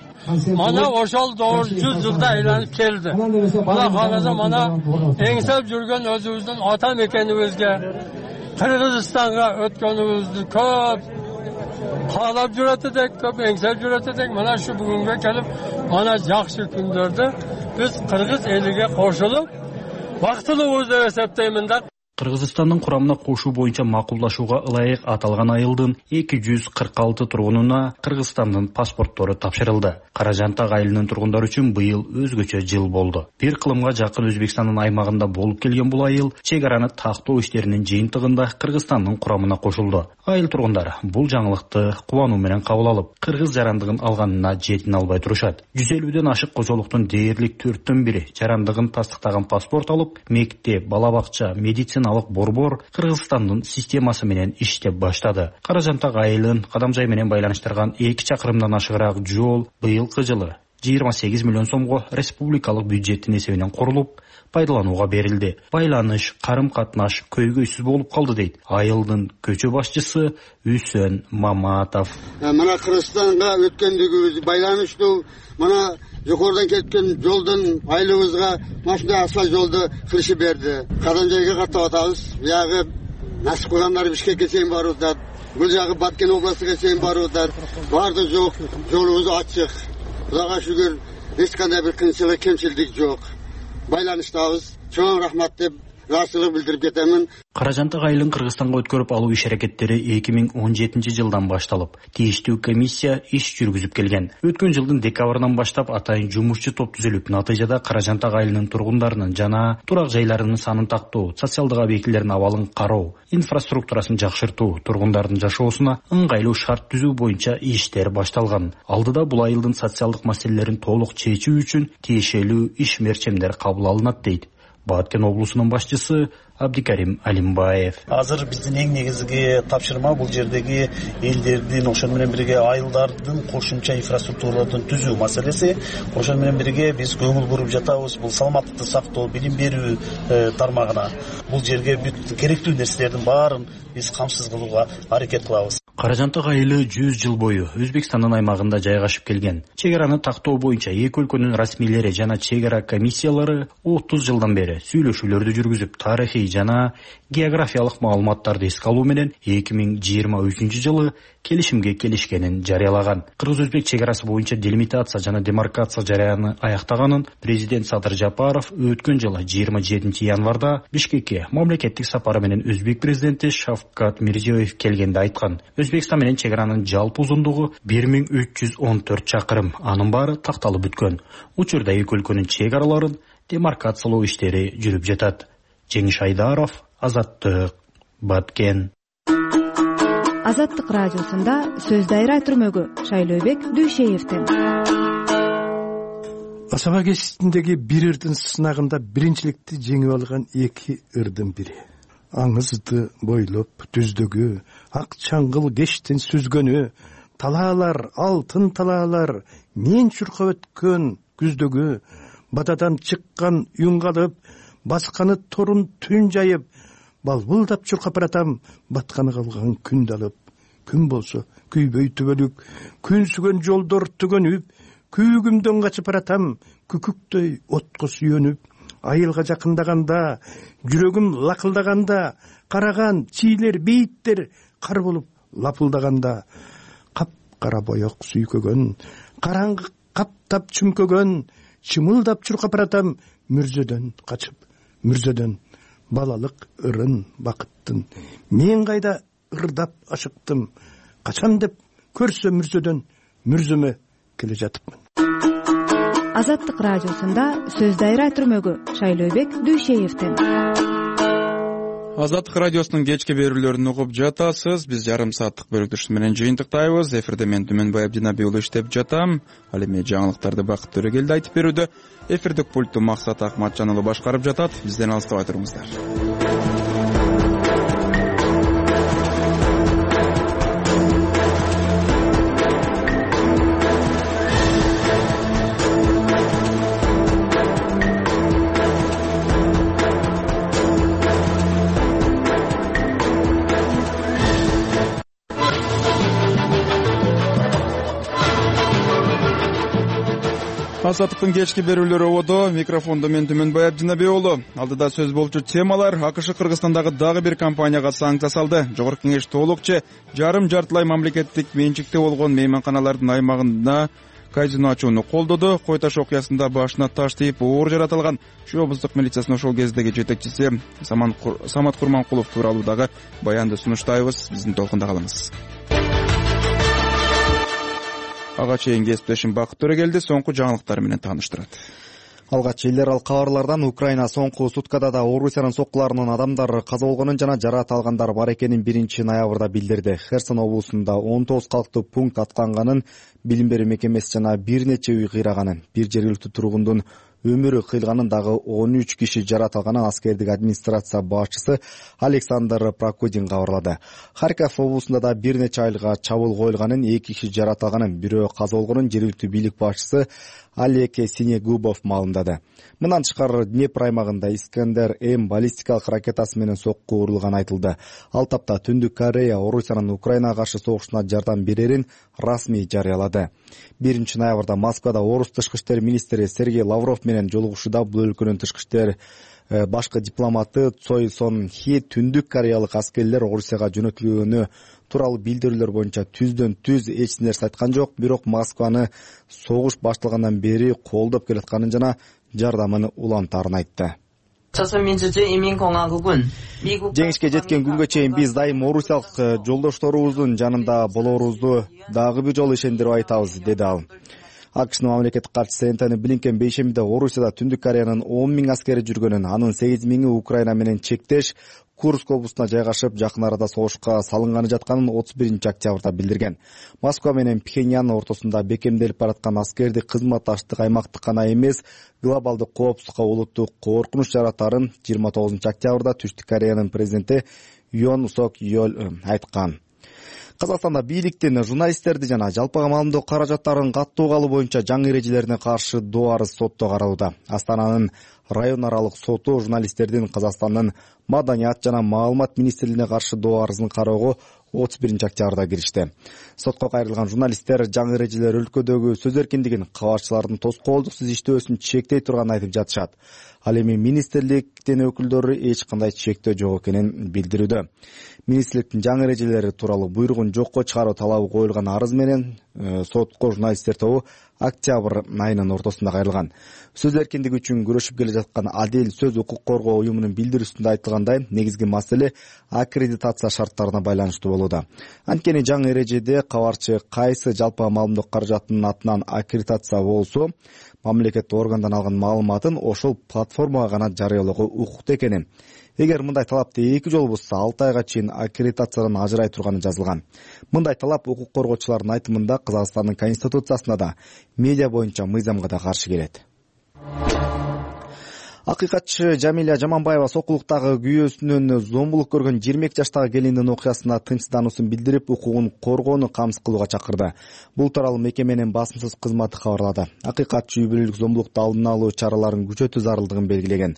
Mana ошол doğru 100 жылда айланып келди. Мына караса мана эңсеп жүргөн өзүбүздүн ата мекенибизге Кыргызстанга өткөнүбүздү көп каалап жүрөт элек, көп эңсеп жүрөт элек. Мына şu бүгүнгө келип, мана жакшы күндөрдө биз кыргыз элиге кошулуп бактылуубуз деп эсептеймин да. Кыргызстандын курамына кошуу боюнча макулдашууга ылайык аталган айылдын 246 тургунуна Кыргызстандын паспорттору тапшырылды. Каражантак айылынын тургундары үчүн быйыл өзгөчө жыл болду. Бир кылымга жакын Өзбекстандын аймагында болуп келген бул айыл чек араны тактоо иштеринин жыйынтыгында Кыргызстандын курамына кошулду. Айыл тургундары бул жаңылыкты кубануу менен кабыл алып, кыргыз жарандыгын алганына жетине албай турушат. 150ден ашык кожолуктун дээрлик 4/1 жарандыгын тастыктаган паспорт алып, мектеп, бала бакча, медициналык борбор Кыргызстандын системасы менен иштеп баштады. Каражантак айылын Кадамжай менен байланыштырган 2 чакырымдан ашыгыраак жол быйылкы жылы 28 миллион сомго республикалык бюджеттин эсебинен курулуп, пайдаланууга берилди. Байланыш, карым-катнаш көйгөйсүз болуп калды дейт айылдын көчө башчысы Үсөн Маматов. Мына Кыргызстанга өткөндүгүбүз байланыштуу, мына жогорудан кеткен жолдун айылыбызга машина асфальт жолду кылышып берди. Кадамжайга каттап атабыз. Буягы насип кылгандар Бишкекке чейин барууда, бул жагы Баткен областыга чейин барууда. Барды жок, жолубуз ачык. Кудайга шүгүр, эч кандай бир кыйынчылык, кемчилдик жок. Байланыштабыз. Чоң рахмат деп ыраазычылык билдирип кетемин. Каражантак айылын Кыргызстанга өткөрүп алуу иш аракеттери 2017 жылдан башталып, тийиштүү комиссия иш жүргүзүп келген. Өткөн жылдын декабрынан баштап атайын жумушчу топ түзүлүп, натыйжада Каражантак айылынын тургундарынын жана турак жайларынын санын тактоо, социалдык объектилердин абалын кароо, инфраструктурасын жакшыртуу, тургундардын жашоосуна ыңгайлуу шарт түзүү боюнча иштер башталган. Алдыда бул айылдын социалдык маселелерин толук чечүү үчүн тиешелүү иш мерчемдер кабыл алынат дейт Баткен облусунун башчысы Абдикарим Алимбаев. Азыр биздин эң негизги тапшырма бул жердеги элдердин, ошол менен бирге айылдардын кошумча инфраструктураларын түзүү маселеси. Ошол менен бирге биз көңүл буруп жатабыз бул саламаттыкты сактоо, билим берүү тармагына. Бул жерге бүт керектүү нерселердин баарын биз камсыз кылууга аракет кылабыз. Каражантак айылы 100 жыл бою Өзбекстандын аймагында жайгашып келген. Чек араны тактоо боюнча эки өлкөнүн расмийлери жана чек ара комиссиялары 30 жылдан бери сүйлөшүүлөрдү жүргүзүп, тарыхый жана географиялык маалыматтарды эске алуу менен 2023 жылы келишимге келишкенин жарыялаган. Кыргыз-өзбек чек арасы боюнча делимитация жана демаркация жараяны аяктаганын президент Садыр Жапаров өткөн жылы 27 январда Бишкекке мамлекеттик сапары менен өзбек президенти Шавкат Мирзиёев келгенде айткан. Өзбекстан менен чек аранын жалпы узундугу 1314 чакырым, анын баары такталып бүткөн. Учурда эки өлкөнүн чек араларын демаркациялоо иштери жүрүп жатат. Жеңиш Айдаров, Азаттык, Баткен. Азаттык радиосунда сөз дайра түрмөгү Шайлообек Дүйшеевден. Асаба кесиптиндеги бир ырдын сынагында биринчиликти жеңип алган эки ырдын бири. Аңызды бойлоп түздөгү, ак чаңгыл кештин сүзгөнү, талаалар, алтын талаалар, мен чуркап өткөн күздөгү, батадан чыккан үн калып, басканы торун түн жайып, балбылдап чуркап баратам, батканы калган күндү алып. Күн болсо күйбөй түбөлүк, күнсүгөн жолдор түгөнүп, күйгүмдөн качып баратам, күкүктөй отко сүйөнүп. Айылга жакындаганда, жүрөгүм лакылдаганда, караган чийлер, бейиттер кар болуп лапылдаганда, кап-кара боек сүйкөгөн, караңгы каптап чүмкөгөн, чымылдап чуркап баратам, мүрзөдөн качып, мүрзөдөн балалык ырын бакыттын мен кайда ырдап ашыктым качан деп көрсө мүрзөдөн мүрзөмө келе жатыпмын. Азаттык радиосунда сөз дайра түрмөгү Шайлообек Дүйшеевден. Азаттык радиосунун кечки берүүлөрүн угуп жатасыз. Биз жарым сааттык бөлүктүш менен жыйынтыктайбыз. Эфирде мен Түмөнбай Абдинабий уулу иштеп жатам. Ал эми жаңылыктарды Бакыт Төрөгелди айтып берүүдө. Эфирдик пультту Максат Акматжан уулу башкарып жатат. Бизден алыстабай туруңуздар. Азаттыктын кечки берүүлөрү ободо. Микрофондо мен Түмөнбай Абдинабий уулу. Алдыда сөз болчу темалар: АКШ Кыргызстандагы дагы бир компанияга санкция салды. Жогорку Кеңеш толукча жарым-жартылай мамлекеттик менчикте болгон мейманканалардын аймагында казино ачууну колдоду. Кой таш окуясында башына таш тийип оор жарат алган Шу облустук милициясынын ошол кездеги жетекчиси Самат Курманкулов тууралуу дагы баянды сунуштайбыз. Биздин толкунда калыңыз. Ага чейин кесиптешим Бакыт Төрөгелди соңку жаңылыктар менен тааныштырат. Алгач эл аралык кабарлардан Украина соңку суткада да Орусиянын соккуларынын адамдар каза болгонун жана жараат алгандар бар экенин 1-ноябрда билдирди. Херсон облусунда 19 калктуу пункт атканганын, билим берүү мекемеси жана бир нече үй кыйраганын, бир жергиликтүү тургундун өмүрү кыйылганын, дагы 13 киши жараат алганын аскердик администрация башчысы Александр Прокудин кабарлады. Харьков облусунда да бир нече айылга чабуул коюлганын, 2 киши жараат алганын, бирөө каза болгонун жергиликтүү бийлик башчысы Олег Синегубов маалымдады. Мындан тышкары Днепр аймагында Искандер-М баллистикалык ракетасы менен сокку урулганы айтылды. Ал тапта Түндүк Корея Орусиянын Украинага каршы согушуна жардам берерин расмий жарыялады. 1-ноябрда Москвада Орус тышкы иштер министри Сергей Лавров менен жолугушууда бул өлкөнүн тышкы иштер башкы дипломаты Цой Сон Хи Түндүк Кореялык аскерлер Орусияга жөнөтүлгөнү тууралуу билдирүүлөр боюнча түздөн-түз эч нерсе айткан жок, бирок Москваны согуш башталгандан бери колдоп келатканын жана жардамын улантаарын айтты. Жеңишке жеткен күнгө чейин биз дайым орусиялык жолдошторубуздун жанында болорубузду дагы бир жолу ишендирип айтабыз, деди ал. АКШнын мамлекеттик катчысы Энтони Блинкен бейшембиде Орусияда Түндүк Кореянын 10 000 аскери жүргөнүн, анын 8 000-и Украина менен чектеш Курск облусуна жайгашып, жакын арада согушка салынганы жатканын 31-октябрда билдирген. Москва менен Пхеньян ортосунда бекемделип бараткан аскердик кызматташтык аймактык гана эмес, глобалдык коопсуздукка улуттук коркунуч жаратарын 29-октябрда Түштүк Кореянын президенти Юн Сок Йол айткан. Казакстанда бийликтин журналисттерди жана жалпыга маалымдоо каражаттарын каттуу калуу боюнча жаңы эрежелерине каршы доо арыз сотто каралууда. Астананын район аралык соту журналисттердин Казакстандын маданият жана маалымат министрлигине каршы доо арызын кароого 31-октябрда киришти. Сотко кайрылган журналисттер жаңы эрежелер өлкөдөгү сөз эркиндигин, кабарчылардын тоскоолдуксуз иштөөсүн чектей турганын айтып жатышат. Ал эми министрликтин өкүлдөрү эч кандай чектөө жок экенин билдирүүдө. Министрликтин жаңы эрежелери тууралуу буйругун жокко чыгаруу талабы коюлган арыз менен сотко журналисттер тобу октябрь айынын ортосунда кайрылган. Сөз эркиндиги үчүн күрөшүп келе жаткан Адил сөз укук коргоо уюмунун билдирүүсүндө айтылгандай, негизги маселе аккредитация шарттарына байланыштуу болууда. Анткени жаңы эрежеде кабарчы кайсы жалпы маалымдоо каражатынын атынан аккредитация болсо, мамлекеттик органдан алган маалыматын ошол платформага гана жарыялоого укуктуу экенин. Эгер мындай талапты 2 жол бузса, 6 айга чейин аккредитациядан ажырай турганы жазылган. Мындай талап укук коргоочулардын айтымында Казакстандын конституциясына да, медиа боюнча мыйзамга да каршы келет. Акыйкатчы Жамиля Жаманбаева сокулуктагы күйөөсүнөн зомбулук көргөн 22 жаштагы келиндин окуясына тынчсыздануусун билдирип, укугун коргоону камсыз кылууга чакырды. Бул тууралуу мекеменин басымсыз кызматы кабарлады. Акыйкатчы үй бүлөлүк зомбулукту алдын алуу чараларын күчөтүү зарылдыгын белгилеген.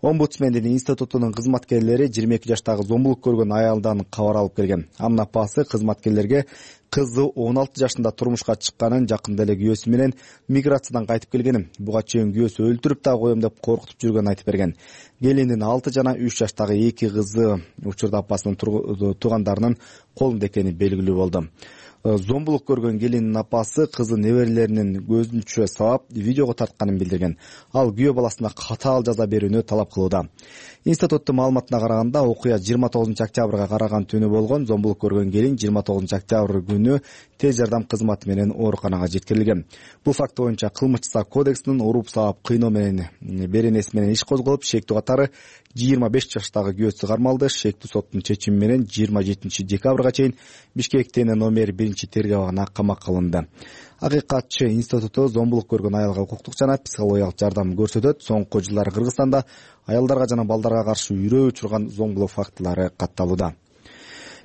Омбудсмендин институтунун кызматкерлери 22 жаштагы зомбулук көргөн аялдан кабар алып келген. Анын апасы кызматкерлерге кызы 16 жашында турмушка чыкканын, жакында эле күйөөсү менен миграциядан кайтып келгенин, буга чейин күйөөсү өлтүрүп да коем деп коркутуп жүргөнүн айтып берген. келинин 6 жана 3 жаштагы 2 кызы учурда апасынын туугандарынын колунда экени белгилүү болду. Зомбулук көргөн келиндин апасы кызы неберелеринин көзүнчө сабап видеого тартканын билдирген. Ал күйөө баласына катаал жаза берүүнү талап кылууда. Институттун маалыматына караганда окуя 29 октябрга караган түнү болгон. Зомбулук көргөн келин 29 октябрь күнү тез жардам кызматы менен ооруканага жеткирилген. Бул факт боюнча кылмыш жаза кодексинин уруп саап кыйноо менен беренеси менен иш козголуп, шектүү катары 25 жаштагы күйөөсү кармалды. Шектүү соттун чечими менен 27 декабрга чейин Бишкектен номер 1 тергөө абагына камакка алынды. Акыйкатчы институту зомбулук көргөн аялга укуктук жана психологиялык жардам көрсөтөт. Соңку жылдары Кыргызстанда аялдарга жана балдарга каршы үрөө учурган зомбулук фактылары катталууда.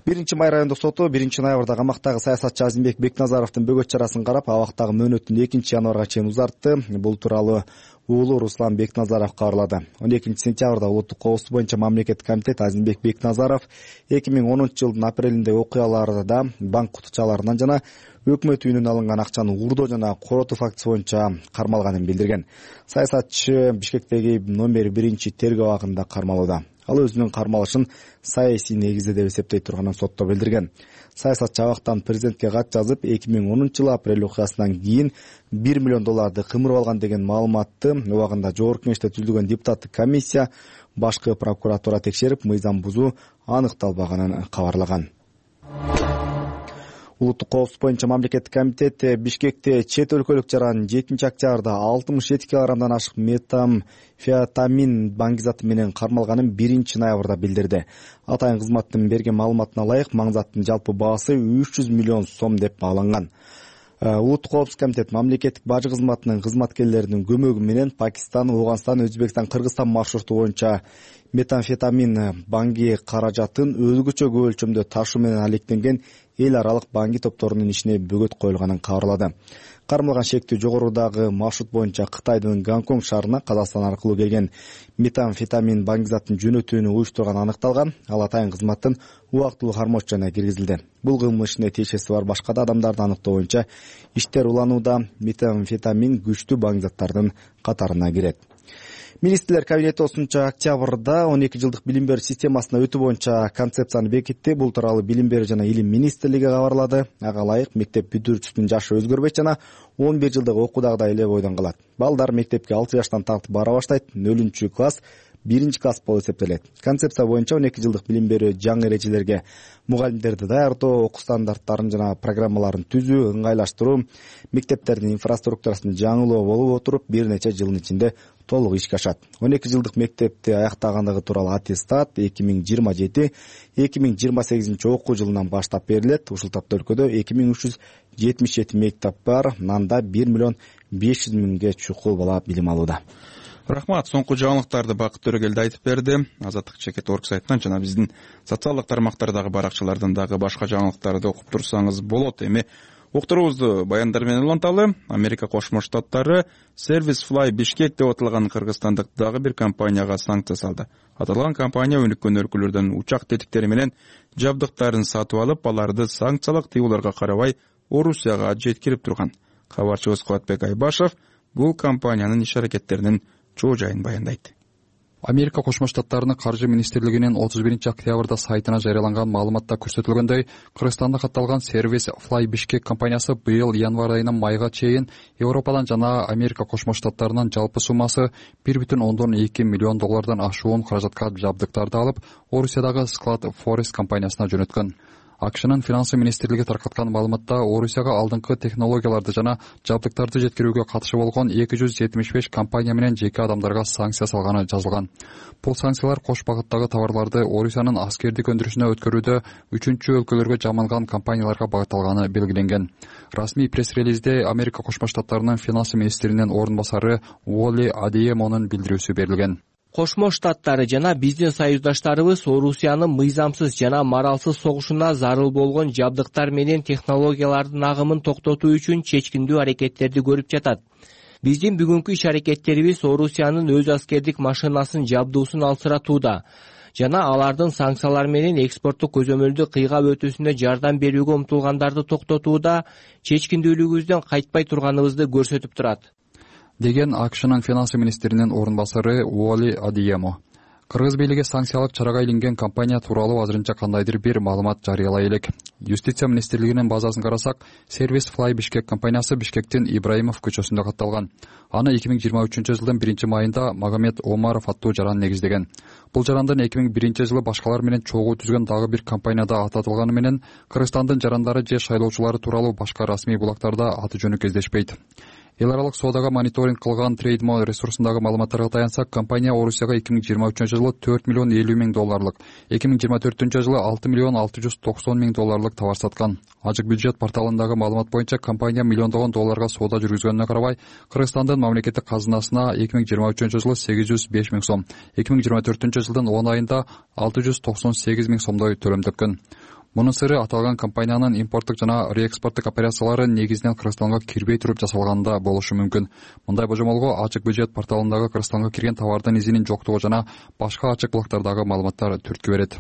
1-Май райондук соту 1-ноябрда камактагы саясатчы Азимбек Бекназаровдун бөгөт чарасын карап, абактагы мөөнөтүн 2-январга чейин узартты. Бул тууралуу уулу Руслан Бекназаров кабарлады. 12-сентябрда улуттук коопсуздук боюнча мамлекеттик комитет Азимбек Бекназаров 2010-жылдын апрелиндеги окуяларда банк кутучаларынан жана өкмөт үйүнөн алынган акчаны уурдоо жана коротуу фактысы боюнча кармалганын билдирген. Саясатчы Бишкектеги номер 1 тергөө абагында кармалууда. Ал өзүнүн кармалышын саясий негизде деп эсептей турганын сотто билдирген. Саясатчы абактан президентке кат жазып, 2010-жылы апрель окуясынан кийин $1 миллион кымырып алган деген маалыматты убагында жогорку кеңеште түзүлгөн депутаттык комиссия башкы прокуратура текшерип, мыйзам бузуу аныкталбаганын кабарлаган. Улуттук коопсуздук боюнча мамлекеттик комитет Бишкекте чет өлкөлүк жаран 7-октябрда 67 килограммдан ашык метамфетамин баңгизаты менен кармалганын 1-ноябрда билдирди. Атайын кызматтын берген маалыматына ылайык, маңзаттын жалпы баасы 300 миллион сом деп бааланган. Улуттук коопсуздук комитет мамлекеттик бажы кызматынын кызматкерлеринин көмөгү менен Пакистан, Ооганстан, Өзбекстан, Кыргызстан маршруту боюнча метамфетамин банги каражатын өзгөчө көп өлчөмдө ташуу менен алектенген эл аралык банги топторунун ишине бөгөт коюлганын кабарлады. Кармалган шектүү жогорудагы маршрут боюнча Кытайдын Гонконг шаарына Казакстан аркылуу келген метамфетамин баңгизатын жөнөтүүнү уюштурган аныкталган. Ал атайын кызматтын убактылуу кармоочуна киргизилди. Бул кылмыш ишине тиешеси бар башка да адамдарды аныктоо боюнча иштер уланууда. Метамфетамин күчтүү баңгизаттардын катарына кирет. Министрлер кабинети 8 октябрда 12 жылдык билим берүү системасына өтүү боюнча концепцияны бекитти. Бул тууралуу Билим берүү жана илим министрлиги кабарлады. Ага ылайык мектеп бүтүрүүчүсүнүн жашы өзгөрбөйт жана 11 жылдык окуудагыдай эле бойдон калат. Балдар мектепке 6 жаштан тартып бара баштайт. 0-класс 1-класс болуп эсептелет. Концепция боюнча 12 жылдык билим берүү жаңы эрежелерге мугалимдерди даярдоо, окуу стандарттарын жана программаларын түзүү, ыңгайлаштыруу, мектептердин инфраструктурасын жаңылоо болуп отуруп, бир нече жылдын ичинде толук ишке ашат. 12 жылдык мектепти аяктагандыгы тууралуу аттестат 2027-2028 окуу жылынан баштап берилет. Ушул тапта өлкөдө 2377 мектеп бар. Нанда 1 500 000 чукул бала билим алууда. Рахмат. Соңку жаңылыктарды Бакыт Төрөгелди айтып берди. Азаттык чекит орг сайтынан жана биздин социалдык тармактардагы баракчалардан дагы башка жаңылыктарды окуп турсаңыз болот. Эми уктуруубузду баяндар менен уланталы. Америка Кошмо Штаттары Service Fly Bishkek деп аталган кыргызстандык дагы бир компанияга санкция салды. Аталган компания өнүккөн өлкөлөрдөн учак тетиктери менен жабдыктарын сатып алып, аларды санкциялык тыюуларга карабай Орусияга жеткирип турган. Кабарчыбыз Кубатбек Айбашев бул компаниянын иш-аракеттеринин чоо жайын баяндайт. Америка Кошмо Штаттарынын каржы министрлигинин 31-октябрда сайтына жарыяланган маалыматта көрсөтүлгөндөй, Кыргызстанда катталган Service Fly Bishkek компаниясы быйыл январь айынан майга чейин Европадан жана Америка Кошмо Штаттарынын жалпы суммасы $1.2 миллион ашуун каражатка жабдыктарды алып, Орусиядагы Склад Forest компаниясына жөнөткөн. АКШнын финансы министрлиги таркаткан маалыматта Орусияга алдыңкы технологияларды жана жабдыктарды жеткирүүгө катышы болгон 275 компания менен жеке адамдарга санкция салганы жазылган. Бул санкциялар кош багыттагы товарларды Орусиянын аскердик өндүрүшүнө өткөрүүдө 3-чү өлкөлөргө жаманган компанияларга багытталганы белгиленген. Расмий пресс-релизде Америка Кошмо Штаттарынын финансы министринин орун басары Уолли Адиемонун билдирүүсү берилген. Кошмо Штаттары жана биздин союздаштарыбыз Орусиянын мыйзамсыз жана моралсыз согушуна зарыл болгон жабдыктар менен технологиялардын агымын токтотуу үчүн чечкиндүү аракеттерди көрүп жатат. Биздин бүгүнкү иш-аракеттерибиз Орусиянын өз аскердик машинасын жабдуусун алсыратууда жана алардын санкциялар менен экспорттук көзөмөлдү кыйгап өтүүсүнө жардам берүүгө умтулгандарды токтотууда чечкиндүүлүгүбүздөн кайтпай турганыбызды көрсөтүп турат, деген АКШнын финансы министринин орун басары Уолли Адиемо. Кыргыз бийлиги санкциялык чарага илинген компания тууралуу азырынча кандайдыр бир маалымат жарыялай элек. Юстиция министрлигинин базасын карасак, сервис Fly Бишкек компаниясы Бишкектин Ибраимов көчөсүндө катталган. Аны 2023-жылдын 1-майында Магомед Омаров аттуу жаран негиздеген. Бул жарандын 2001-жылы башкалар менен чогуу түзгөн дагы бир компанияда ататылганы менен Кыргызстандын жарандары же шайлоочулары тууралуу башка расмий булактарда аты жөнү кездешпейт. Эл аралык соодага мониторинг кылган Трейдмо ресурсундагы маалыматтарга таянсак, компания Орусияга 2023-жылы $4 миллион 50 миң долларлык, 2024-жылы $6 миллион 690 миң долларлык товар саткан. Ажык бюджет порталындагы маалымат боюнча компания миллиондогон долларга соода жүргүзгөнүнө карабай, Кыргызстандын мамлекеттик казынасына 2023-жылы 805 миң сом, 2024-жылдын 10 айында 698 миң сомдой төлөм төккөн. Мунун сыры аталган компаниянын импорттук жана реэкспорттук операциялары негизинен Кыргызстанга кирбей туруп жасалганда болушу мүмкүн. Мындай божомолго ачык бюджет порталындагы Кыргызстанга кирген товардын изинин жоктугу жана башка ачык булактардагы маалыматтар түрткү берет.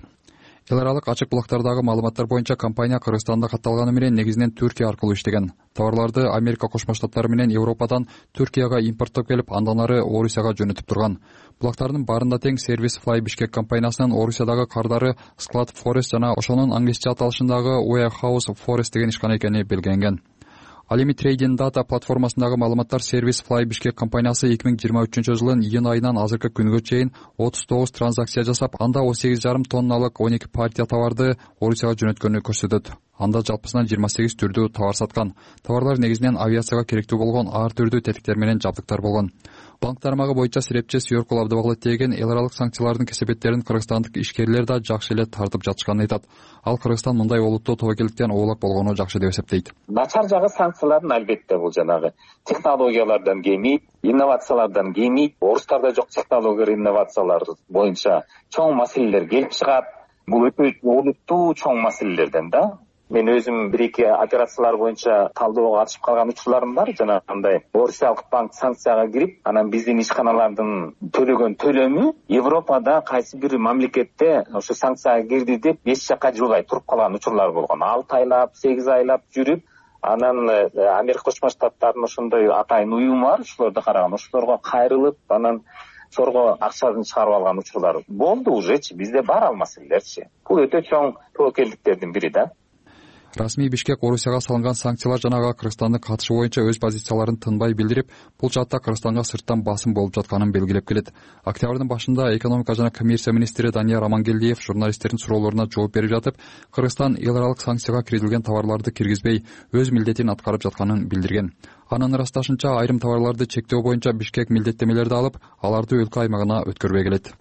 Эл аралык ачык булактардагы маалыматтар боюнча компания Кыргызстанда катталганы менен негизинен Түркия аркылуу иштеген. Товарларды Америка Кошмо Штаттары менен Европадан Түркияга импорттоп келип, андан ары Орусияга жөнөтүп турган. Булактардын баарында тең сервис Fly Бишкек компаниясынын Орусиядагы кардары Sklad Forest жана ошонун англисче аталышындагы Warehouse Forest деген ишкана экени белгиленген. Ал эми Trading Data платформасындагы маалыматтар сервис Fly Бишкек компаниясы 2023-жылдын июнь айынан азыркы күнгө чейин 39 транзакция жасап, анда 18,5 тонналык 12 партия товарды Орусияга жөнөткөнү көрсөтөт. Анда жалпысынан 28 түрдүү товар саткан. Товарлар негизинен авиацияга керектүү болгон ар түрдүү тетиктер менен жабдыктар болгон. Банк тармагы боюнча серепчи Сүйөркул Абдыбаглы теген эл аралык санкциялардын кесепеттерин кыргызстандык ишкерлер да жакшы эле тартып жатышканын айтат. Ал Кыргызстан мындай олуттуу тобокелдиктен оолак болгону жакшы деп эсептейт. Начар жагы санкциялардын албетте бул жанагы технологиялардан кемейт, инновациялардан кемейт. Орустарда жок технология инновациялар боюнча чоң маселелер келип чыгат. Бул өтө олуттуу чоң маселелерден да. Мен өзүм бир-эки операциялар боюнча талдоого катышып калган учурларым бар. Жанагындай Орусиялык банк санкцияга кирип, анан биздин ишканалардын төлөгөн төлөмү Европада кайсы бир мамлекетте ошо санкцияга кирди деп 5 жакка жылбай туруп калган учурлар болгон. 6 айлап, 8 айлап жүрүп, анан Америка Кошмо Штаттарынын ошондой атайын уюму бар, ошолорду караган, ошолорго кайрылып, анан сорго акчасын чыгарып алган учурлар болду ужечи. Бизде бар ал маселелерчи. Бул өтө чоң тобокелдиктердин бири да. Расмий Бишкек Орусияга салынган санкциялар жанагы Кыргызстандын катышы боюнча өз позицияларын тынбай билдирип, бул жаатта Кыргызстанга сырттан басым болуп жатканын белгилеп келет. Октябрдын башында экономика жана коммерция министри Данияр Амангелдиев журналисттердин суроолоруна жооп берип жатып, Кыргызстан эл аралык санкцияга киргизилген товарларды киргизбей, өз милдетин аткарып жатканын билдирген. Анын ырасташынча, айрым товарларды чектөө боюнча Бишкек милдеттемелерди алып, аларды өлкө аймагына өткөрбөй келет.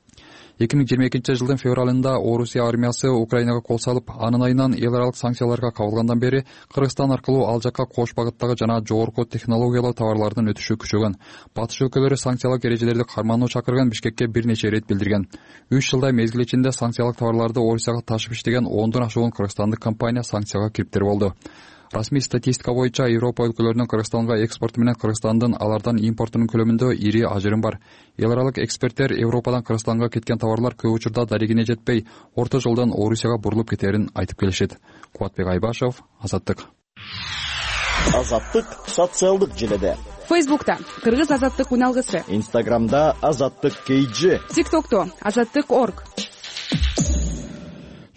2022-жылдын февралында Орусия армиясы Украинага кол салып, анын айынан эл аралык санкцияларга кабылгандан бери Кыргызстан аркылуу ал жакка кош багыттагы жана жогорку технологиялуу товарлардын өтүшү күчөгөн. Батыш өлкөлөрү санкциялык эрежелерди кармануу чакырган Бишкекке бир нече ирет билдирген. 3 жылдай мезгил ичинде санкциялык товарларды Орусияга ташып иштеген 10дон ашуун кыргызстандык компания санкцияга кириптер болду. Расмий статистика боюнча Европа өлкөлөрүнүн Кыргызстанга экспорту менен Кыргызстандын алардан импортунун көлөмүндө ири ажырым бар. Эл аралык эксперттер Европадан Кыргызстанга кеткен товарлар көп учурда дарегине жетпей, орто жолдон Орусияга бурулуп кетерин айтып келишет. Кубатбек Айбашев, Азаттык. Азаттык социалдык желеде. Фейсбукта Кыргыз Азаттык уналгысы. Инстаграмда Азаттык KG. ТикТокто Азаттык.org.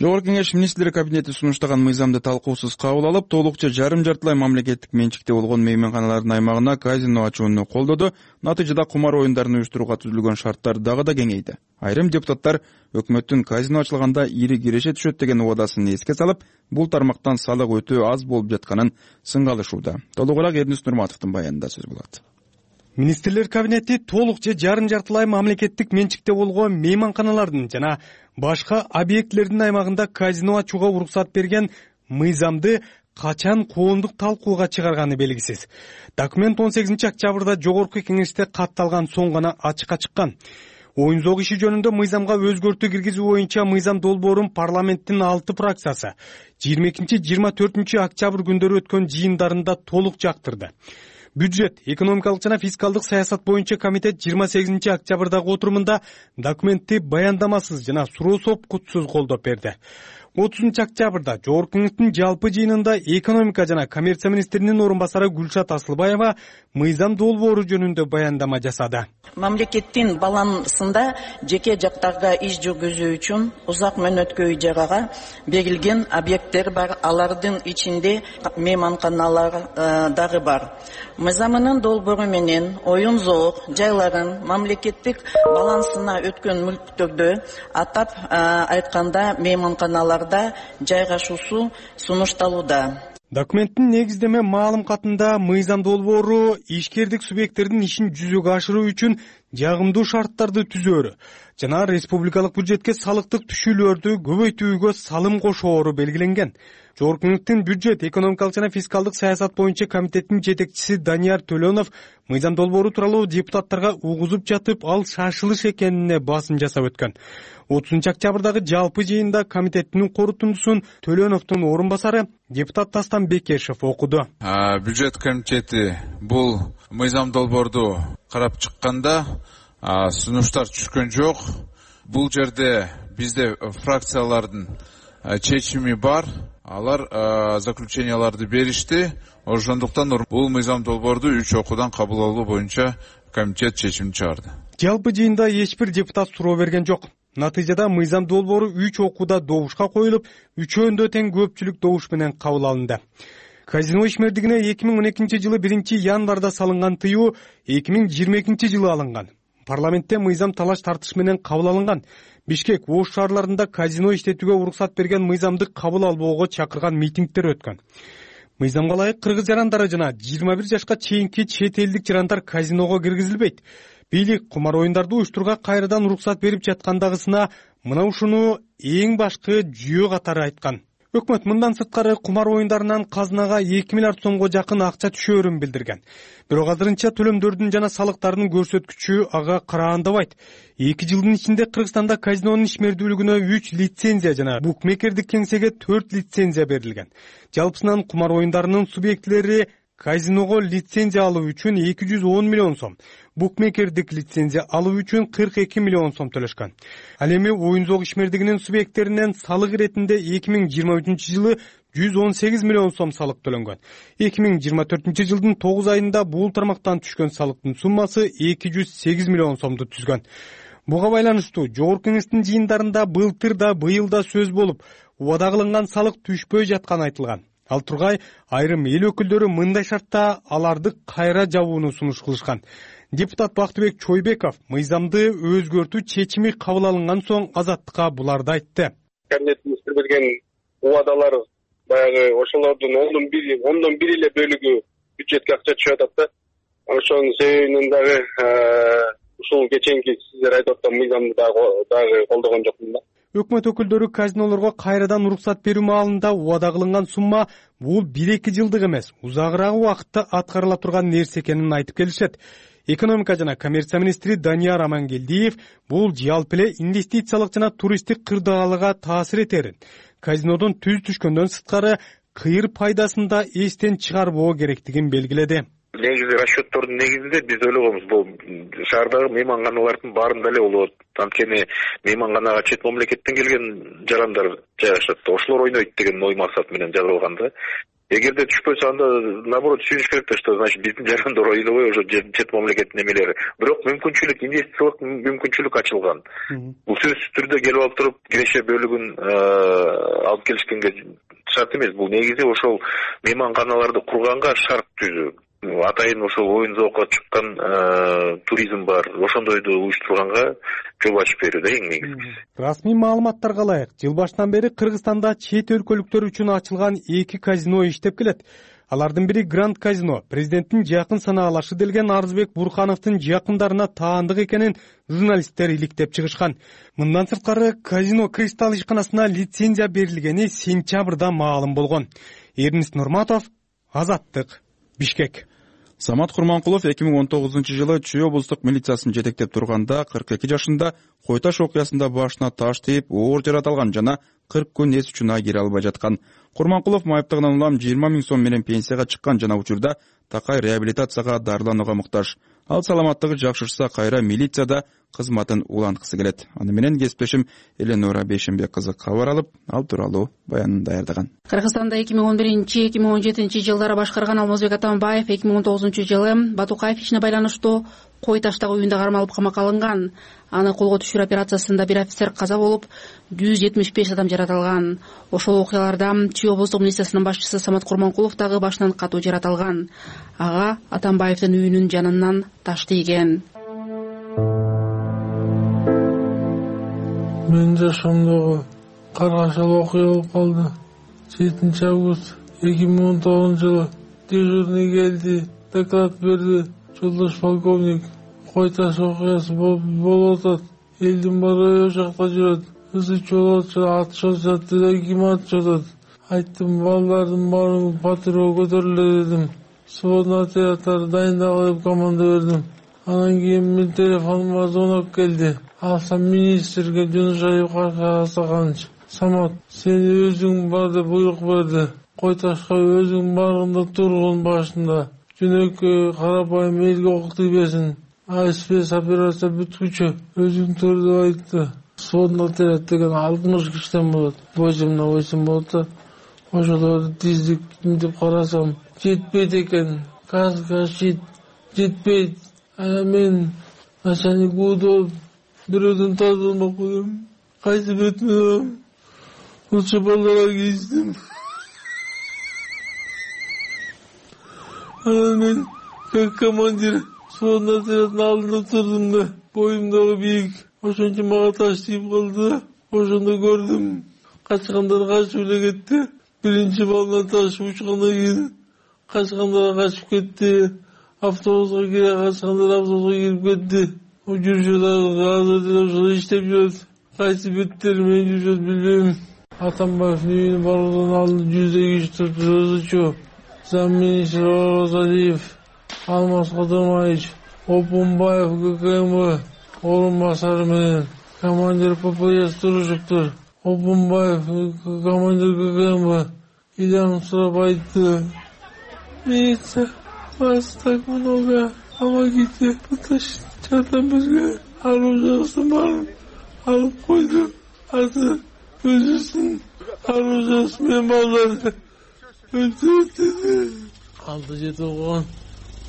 Жогорку Кеңеш министрлер кабинети сунуштаган мыйзамды талкуусуз кабыл алып, толукча жарым-жартылай мамлекеттик менчикте болгон мейманканалардын аймагына казино ачууну колдоду. Натыйжада кумар оюндарын уюштурууга түзүлгөн шарттар дагы да кеңейди. Айрым депутаттар өкмөттүн казино ачылганда ири киреше түшөт деген убадасын эске салып, бул тармактан салык өтөө аз болуп жатканын сынгалышууда. Толугураак Эрнис Нурматовдун баянында сөз болот. Министрлер кабинети толук же жарым-жартылай мамлекеттик менчикте болгон мейманканалардын жана башка объектилердин аймагында казино ачууга уруксат берген мыйзамды качан коомдук талкууга чыгарганы белгисиз. Документ 18-октябрда жогорку кеңеште катталган соң гана ачыкка чыккан. Оюн зоок иши жөнүндө мыйзамга өзгөртүү киргизүү боюнча мыйзам долбоорун парламенттин 6 фракциясы 22-24 октябрь күндөрү өткөн жыйындарында толук жактырды. Бюджет, экономикалык жана фискалдык саясат боюнча комитет 28 октябрдагы отурумунда документти баяндамасыз жана суроо сопкутсуз колдоп берди. 30-октябрда Жогорку Кеңештин жалпы жыйынында экономика жана коммерция министринин орун басары Гүлшат Асылбаева мыйзам долбоору жөнүндө баяндама жасады. Мамлекеттин балансында жеке жактарга иш жүргүзүү үчүн узак мөөнөткө үй жайга берилген объекттер бар. Алардын ичинде мейманканалар дагы бар. Мыйзамынын долбоору менен оюн зоо жайларын мамлекеттик балансына өткөн мүлктөрдө, атап айтканда мейманканаларда жайгашуусу сунушталууда. Документтин негиздеме маалым катында мыйзам долбоору ишкердик субъекттердин ишин жүзөгө ашыруу үчүн жагымдуу шарттарды түзөөрү жана республикалык бюджетке салыктык түшүүлөрдү көбөйтүүгө салым кошоору белгиленген. Жогорку Кеңештин бюджет, экономикалык жана фискалдык саясат боюнча комитеттин жетекчиси Данияр Төлөнов мыйзам долбоору тууралуу депутаттарга угузуп жатып, ал шашылыш экенине басым жасап өткөн. 30-октябрдагы жалпы жыйында комитеттин корутундусун Төлөновдун орун басары депутат Дастан Бекешев окуду. Бюджет комитети бул мыйзам долбоорду карап чыкканда сунуштар түшкөн жок. Бул жерде бизде фракциялардын чечими бар. Алар заключенияларды беришти. Ошондуктан бул мыйзам долбоорду 3 окуудан кабыл алуу боюнча комитет чечим чыгарды. Жалпы жыйында эч бир депутат суроо берген жок. Натыйжада мыйзам долбоору 3 окууда добушка коюлуп, үчөөндө тең көпчүлүк добуш менен кабыл алынды. Казино ишмердигине 2012-жылы 1-январда салынган тыюу 2022-жылы алынган. Парламентте мыйзам талаш тартыш менен кабыл алынган. Бишкек, Ош шаарларында казино иштетүүгө уруксат берген мыйзамды кабыл албоого чакырган митингдер өткөн. Мыйзамга ылайык кыргыз жарандары жана 21 жашка чейинки чет элдик жарандар казиного киргизилбейт. Бийлик кумар оюндарды уюштурууга кайрадан уруксат берип жаткандагысына мына ушуну эң башкы жүйө катары айткан. Өкмөт мындан сырткары кумар оюндарынан казынага 2 миллиард сомго жакын акча түшөөрүн билдирген. Бирок азырынча төлөмдөрдүн жана салыктардын көрсөткүчү ага караандабайт. 2 жылдын ичинде Кыргызстанда казинонун ишмердүүлүгүнө 3 лицензия жана букмекердик кеңсеге 4 лицензия берилген. Жалпысынан кумар оюндарынын субъектилери казиного лицензия алуу үчүн 210 миллион сом, букмекердик лицензия алуу үчүн 42 миллион сом төлөшкөн. Ал эми оюн-зоок ишмердигинин субъекттеринен салык иретинде 2023-жылы 118 миллион сом салык төлөнгөн. 2024-жылдын 9 айында бул тармактан түшкөн салыктын суммасы 208 миллион сомду түзгөн. Буга байланыштуу Жогорку Кеңештин жыйындарында былтыр да быйыл да сөз болуп, убада кылынган салык түшпөй жатканы айтылган. Ал тургай айрым эл өкүлдөрү мындай шартта аларды кайра жабууну сунуш кылышкан. Депутат Бактыбек Чойбеков мыйзамды өзгөртүү чечими кабыл алынган соң Азаттыкка буларды айтты. Кабинетибизде берген убадалар баягы ошолордун 1/10 эле бөлүгү бюджетке акча түшүп атат да. Ошонун себебинен дагы ушул кеченки сиздер айтып аткан мыйзамды дагы колдогон жокмун да. Өкмөт өкүлдөрү казинолорго кайрадан уруксат берүү маалында убада кылынган сумма бул 1-2 жылдык эмес, узагыраак убакытта аткарыла турган нерсе экенин айтып келишет. Экономика жана коммерция министри Данияр Амангелдиев бул жалпы эле инвестициялык жана туристтик кырдаалга таасир этерин, казинодон түз түшкөндөн сырткары кыйыр пайдасын да эстен чыгарбоо керектигин белгиледи. Негизи расчеттордун негизинде биз ойлогонбуз бул шаардагы мейманканалардын баарында эле болот. Анткени мейманканага чет мамлекеттен келген жарандар жайгашат. Ошолор ойнойт деген ой максат менен жазылган да. Эгерде түшпөсө анда наоборот түшүнүш керек да, что значит биздин жарандар ойлобой ошо чет мамлекеттин эмелери. Бирок мүмкүнчүлүк, инвестициялык мүмкүнчүлүк ачылган. Бул сөзсүз түрдө келип алып туруп киреше бөлүгүн алып келишкенге шарт эмес. Бул негизи ошол мейманканаларды курганга шарт түзүү. Атайын ошол оюн-зоокко чыккан туризм бар. Ошондойду уюштурганга жол ачып берүү да эң негизгиси. Расмий маалыматтарга ылайык, жыл башынан бери Кыргызстанда чет өлкөлүктөр үчүн ачылган 2 казино иштеп келет. Алардын бири Гранд казино, президенттин жакын санаалашы делген Арзбек Бурхановдун жакындарына таандык экенин журналисттер иликтеп чыгышкан. Мындан сырткары казино Кристалл ишканасына лицензия берилгени сентябрда маалым болгон. Эрнис Нурматов, Азаттык, Бишкек. Самат Курманкулов 2019-жылы Чүй облустук милициясын жетектеп турганда 42 жашында Кой Таш окуясында башына таш тийип, оор жарат алган жана 40 күн эс учуна кире албай жаткан. Курманкулов майыптыгынан улам 20 000 сом менен пенсияга чыккан жана учурда такай реабилитацияга дарыланууга муктаж. ал саламаттыгы жакшырса кайра милицияда кызматын уланткысы келет. Аны менен кесиптешим Эленора Бейшенбек кызы кабар алып, ал тууралуу баянын даярдаган. Кыргызстанда 2011-2017 жылдары башкарган Алмазбек Атамбаев 2019-жылы Батукаев ишине байланыштуу кой таштагы үйүндө кармалып камакка алынган. Аны колго түшүрүү операциясында бир офицер каза болуп, 175 адам жаратылган. Ошол окуяларда Чүй облустук милициясынын башчысы Самат Курманкулов дагы башынан катуу жаратылган. Ага Атамбаевдин үйүнүн жанынан таш тийген. Мен жашоомдогу каргашалуу окуя болуп калды. 7 август 2019-жылы дежурный келди, доклад берди. Жолдош полковник, кой таш окуясы болуп атат. Элдин баары о жакта жүрөт. Ызычы болуп атат, атышып жатты, ким атышып атат? Айттым, балдардын баарын патрулга көтөрүлө дедим. Сводный отрядтарды дайындагыла деп команда бердим. Анан кийин мен телефонума звонок келди. Алсам министрге Жунушаев Касаканович, Самат, сен өзүң бар деп буйрук берди. Кой ташка өзүң барганда тургун башында. Жөнөкөй карапайым элге ок тийбесин. Спец операция бүткүчү өзүң тур деп айтты. Сводный отряд деген 60 кишиден болот. Бойсум болот. Ошолорду тиздик деп карасам, жетпейт экен. Каска жетпейт. Мен начальник болуп бирөөдөн тазалмак болом. Кайсы бетиме алам? Лучше балдарга кийиштим. Анан мен как командир сводный отряддын алдында турдум да, боюм дагы бийик. Ошончо мага таш тийип калды. Ошондо көрдүм. Качкандар качып эле кетти. Биринчи балдан таш учкандан кийин качкандар качып кетти. Автобуска кире качкандар автобуска кирип кетти. Жүрүшөт азыр деле ошол иштеп жүрөт. Кайсы беттери менен жүрүшөт билбейм. Атамбаевдин үйүнө баруудан алдын 100 киши турчу. Замминистр Орозалиев, Алмаз Кодомаевич, Опунбаев ГКМ орун басары менен командир ППС турушуптур. Опунбаев командир ГКМ Илям сурап айтты. Милиция вас так много, помогите, жардам берге. Оружиясын барын алып койду. Азыр өзүсүн оружиясы менен балдарды алды жетип койгон.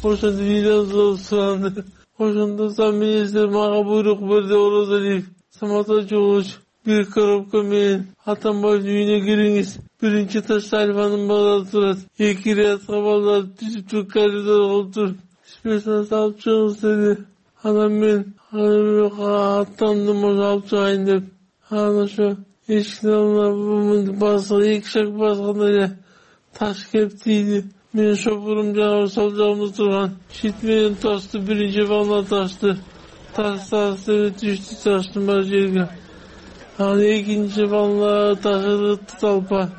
Ошондо видео суранды. Ошондо замминистр мага буйрук берди. Орозалиев, Самат Ачуович, бир коробка менен Атамбаевдин үйүнө кириңиз. Биринчи этажда Альфанын балдары турат. 2 рядка балдар түзүп туруп коридор кылып туруп, спецназ алып чыгыңыз деди. Анан мен аттандым, ошо алып чыгайын деп. Анан ошо эшиктин алдына басып 2 шаг басканда эле таш келип тийди. Менин шофурум жана сол жагымда турган шит менен ташты, биринчи балына ташты. Таш түштү таштын бар жерге. Анан экинчи балына ташы талпа.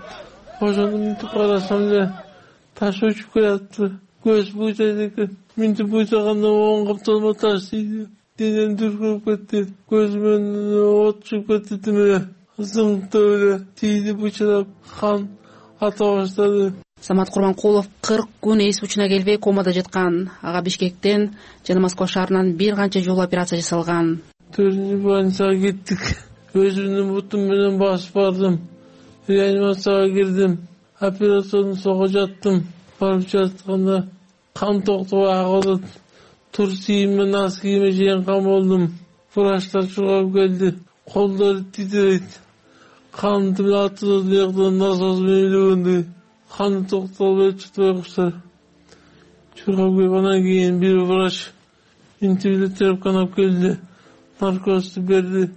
Ошону мынтип карасам эле таш учуп келатты. Көз буйтайт экен. Мынтип буйтагандан оң капталыма таш тийди. Денем дүркүрүп кетти. Көзүмөн от чыгып кетти тимире. Зыңтып эле тийди, бычырап кан ата баштады. Самат Курманкулов 40 күн эс учуна келбей комада жаткан. Ага Бишкектен жана Москва шаарынан бир канча жолу операция жасалган. 4-cü больницага кеттик. Өзүмдүн бутум менен басып бардым. Реанимацияга кирдим. Операциянын сого жаттым. Барып жатканда кан токтобой агып атат. Тур кийиме, нас кийиме чейин кан болдум. Врачтар чургап келди. Колдору титирейт. Кан атып жактан насос менен илегенди. Каны токтолбой чыкпай куштар. Чургап келип анан кийин бир врач интибилет терапканап келди. Наркозду берди.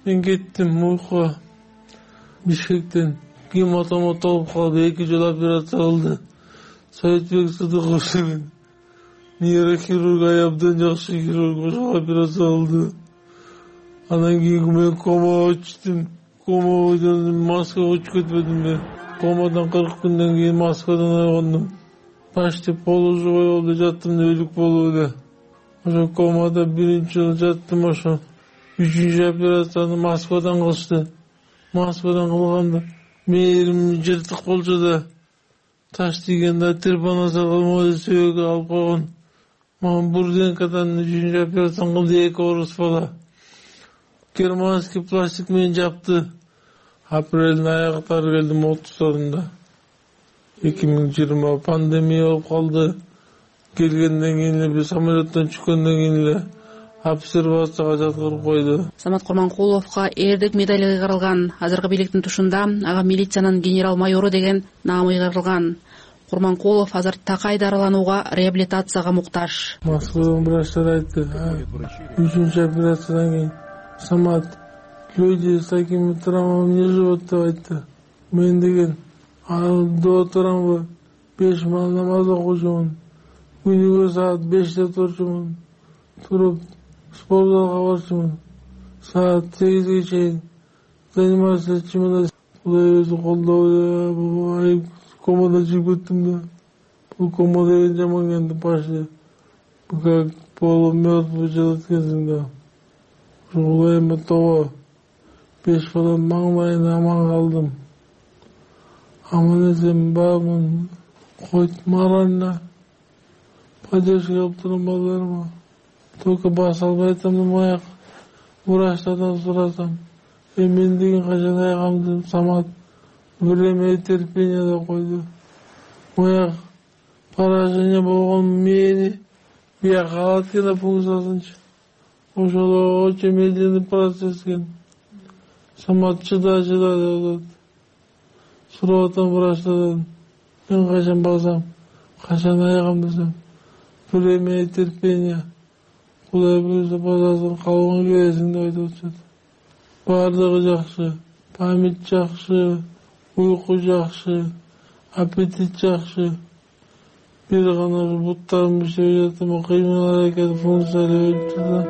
Мен кеттим уйкуга. Бишкектен гематома толуп калды. 2 жолу операция кылды. Советбек Сыдыков деген нейрохирург, абдан жакшы хирург, ошол операция кылды. Анан кийин мен комага түштүм. Комадан Москвага учуп кетпедимби? Комадан 40 күндөн кийин Москвадан ойгондум. Почти полуживой болду, жаттым өлүк болуп эле. Ошо комада биринчи жолу жаттым. Ошо 3-cü операцияны Москвадан кылышты. Москвадан кылганда мээрим жыртык болчу да таш тийгенде тырпана салган сөөккө алып койгон. Мага Бурденкадан 3-чү операцион кылды, 2 орус бала. Германский пластик менен жапты. Апрелдин аяктары келдим 30-сында. 2020 пандемия болуп калды. Келгенден кийин эле самолеттон түшкөндөн кийин эле обсервацияга жаткырып койду. Самат Курманкуловго эрдик медали ыйгарылган. Азыркы бийликтин тушунда ага милициянын генерал майору деген наамы ыйгарылган. Курманкулов азыр такай дарыланууга, реабилитацияга муктаж. Москвадан врачтар айтты, 3-чү операциядан кийин Самат, люди с такими травмами не живут, деп айтты. Мен деген до турамбы 5 мал намаз окуучумун. Күнүгө саат 5-те турчумун. Туруп спортзалга барчумун. Саат 8ге чейин заниматься этчимин. Кудай өзү колдоо, комада чыгып кеттим да. Бул комада деген жаман келди почти. Как полумертвый жылып кетсең да. Кудайыма тобо 5 балам маңдайына аман калдым. Аман эсен бармын, койт морально поддержка кылып турам балдарыма. Только баса албай атам, аяк врачтардан сурасам. Мен деген качан аягамды Самат время и терпение деп койду. Аяк поражение болгон мени бияка калат экен функциясынчы. Ошол очень медленный процесс экен. Самат чыда деп атат. Сурап атам врачтардан. Мен качан басам, качан аягам десем. Время и терпение. Кудай буюрса басасың, калган келесиң деп айтып атышат. Бардыгы жакшы, память жакшы, уйку жакшы, аппетит жакшы. Бир гана буттарым иштеп жатам, кыймыл аракет функциялары өлүп турду.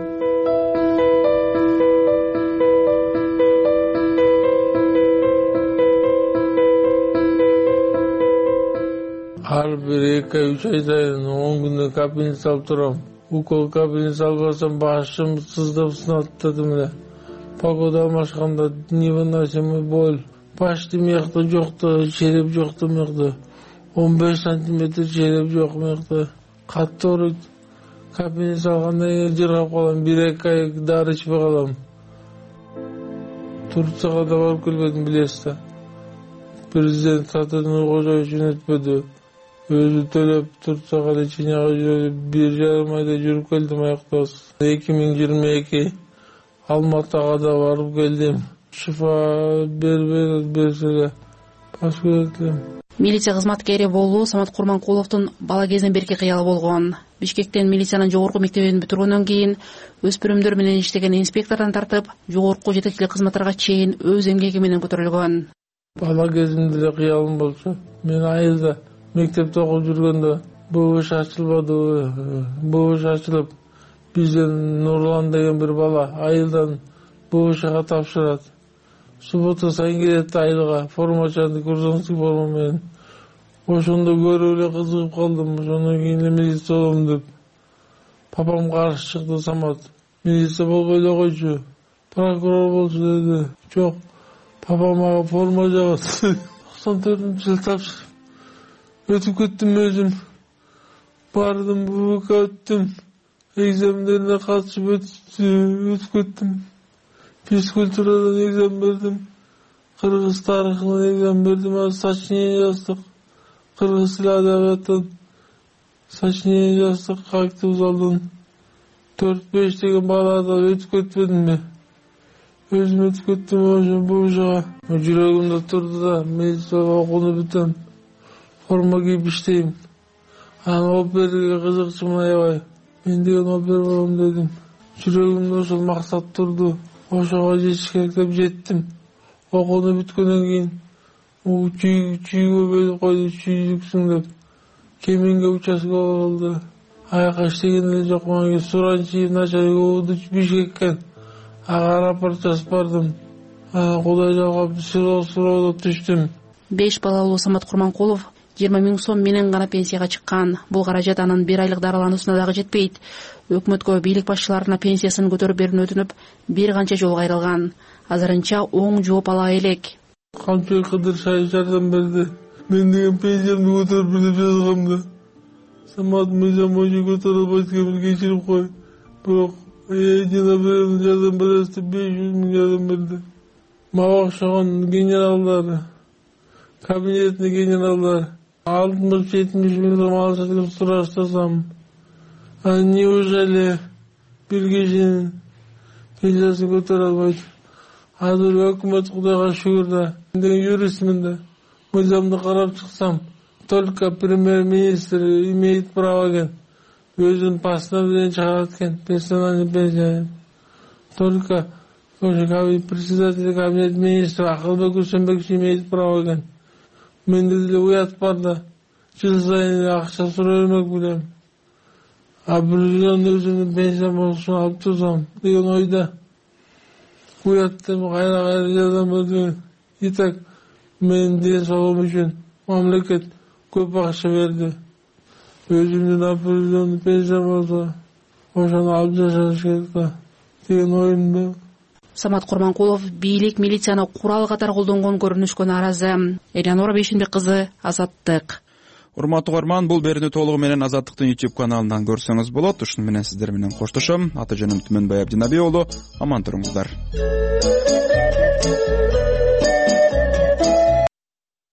Ар бир 2-3 ай сайын 10 күндө капельница салып турам. Укол капельница албасам башым сыздап сынат дедим эле. Погода алмашканда невыносимый боль. Баш демекте жокто, череп жокто мекте. 15 сантиметр череп жок мекте. Катты ооруйт. Капельница алгандан кийин жыргап калам, 1-2 ай дары ичпей калам. Турцияга да барып келбедим, билесиз да. Президент Сатырдын Кожоевич өтпөдү. Өзү төлөп Турцияга леченияга жүрүп 1,5 айда жүрүп келдим аяктабыз. 2022 Алматыга да барып келдим. Шифа берселе баш көрөтүлөм. Милиция кызматкери болуу Самат Курманкуловдун бала кезинен берки кыялы болгон. Бишкектен милициянын жогорку мектебин бүтүргөндөн кийин өспүрүмдөр менен иштеген инспектордон тартып, жогорку жетекчилик кызматтарга чейин өз эмгеги менен көтөрүлгөн. Бала кезимде эле кыялым болчу. Мен айылда мектепте окуп жүргөндө БВШ ачылбады. БВШ ачылып, бизден Нурлан деген бир бала айылдан БВШга тапшырат. Суббота сайын келет айылга, формачанды курсантский форма менен. Ошондо көрүп эле кызыгып калдым. Ошондон кийин эле милиция болом деп. Папам каршы чыкты. Самат, милиция болбой эле койчу, прокурор болчу деди. Жок, папам ага форма жабат. 94-жылы тапшырып өтүп кеттим өзүм. Бардым, БВК өттүм. Экзамендерине катышып өтүп кеттим. Физкультурадан экзамен бердим. Кыргыз тарыхынан экзамен бердим. Сочинение жаздык. Кыргыз тили адабияттан сочинение жаздык. Актив залдан 4-5 деген балада өтүп кетпедимби? Өзүм өтүп кеттим ошо бужага. Жүрөгүмдө турду да, милицияга окууну бүтөм. Форма кийип иштейм. Анан оперге кызыкчумун аябай. Мен деген опер болом дедим. Жүрөгүмдө ошол максат турду. Ошого жетиш керек деп жеттим. Окууну бүткөндөн кийин чүйгө бөлүп койду, чүйдүксүң деп. Кеминге участка болду. Аяка иштеген эле жок. Мага Суранчиев начальник Бишкекке ага рапорт жазып бардым. Кудай жагап суроо түштүм. 5 балалуу Самат Курманкулов 20 000 сом менен гана пенсияга чыккан. Бул каражат анын 1 айлык дарылануусуна дагы жетпейт. Өкмөткө бийлик башчыларына пенсиясын көтөрүп берүүнү өтүнүп, бир канча жолу кайрылган. Азырынча оң жооп ала элек. Камчы Кыдыр жардам берди. Мен деген пенсиямды көтөрүп бер деп жазгам да. самат мыйзам боюнча көтөрө албайт экенмин, кечирип кой. Бирок жана бирөөнүн жардам беребиз деп 500 000 жардам берди. Мага окшогон генералдар, кабинетный генералдар 60-70 000 сом алышат деп сураштасам, неужели бир кишинин пенсиясын көтөрө албайт? Азыр өкмөт Кудайга шүгүр да, мен юристмин да, мыйзамды карап чыксам, только премьер-министр имеет право экен, өзүнүн постановлениесин чыгарат экен, персональный пенсия. Только председатель кабинет министров Акылбек Усенбекович имеет право экен. Менде деле уят бар да, жыл сайын акча сурай бермек билем. Определенный өзүмдүн пенсиям болушун алып турсам деген ойда. Уяттым, кайра жардам берди. Итак, менин ден соолугум үчүн мамлекет көп акча берди. Өзүмдүн определенный пенсиям болсо, ошону алып жашаш керек да деген оюмда. Самат Курманкулов бийлик милицияны курал катары колдонгон көрүнүшкө нааразы. Элеонора Бейшенбек кызы, Азаттык. Урматтуу угарман, бул берүүнү толугу менен Азаттыктын YouTube каналынан көрсөңүз болот. Ушуну менен сиздер менен коштошом. Аты жөнүм Түмөнбай Абдинабий уулу. Аман туруңуздар.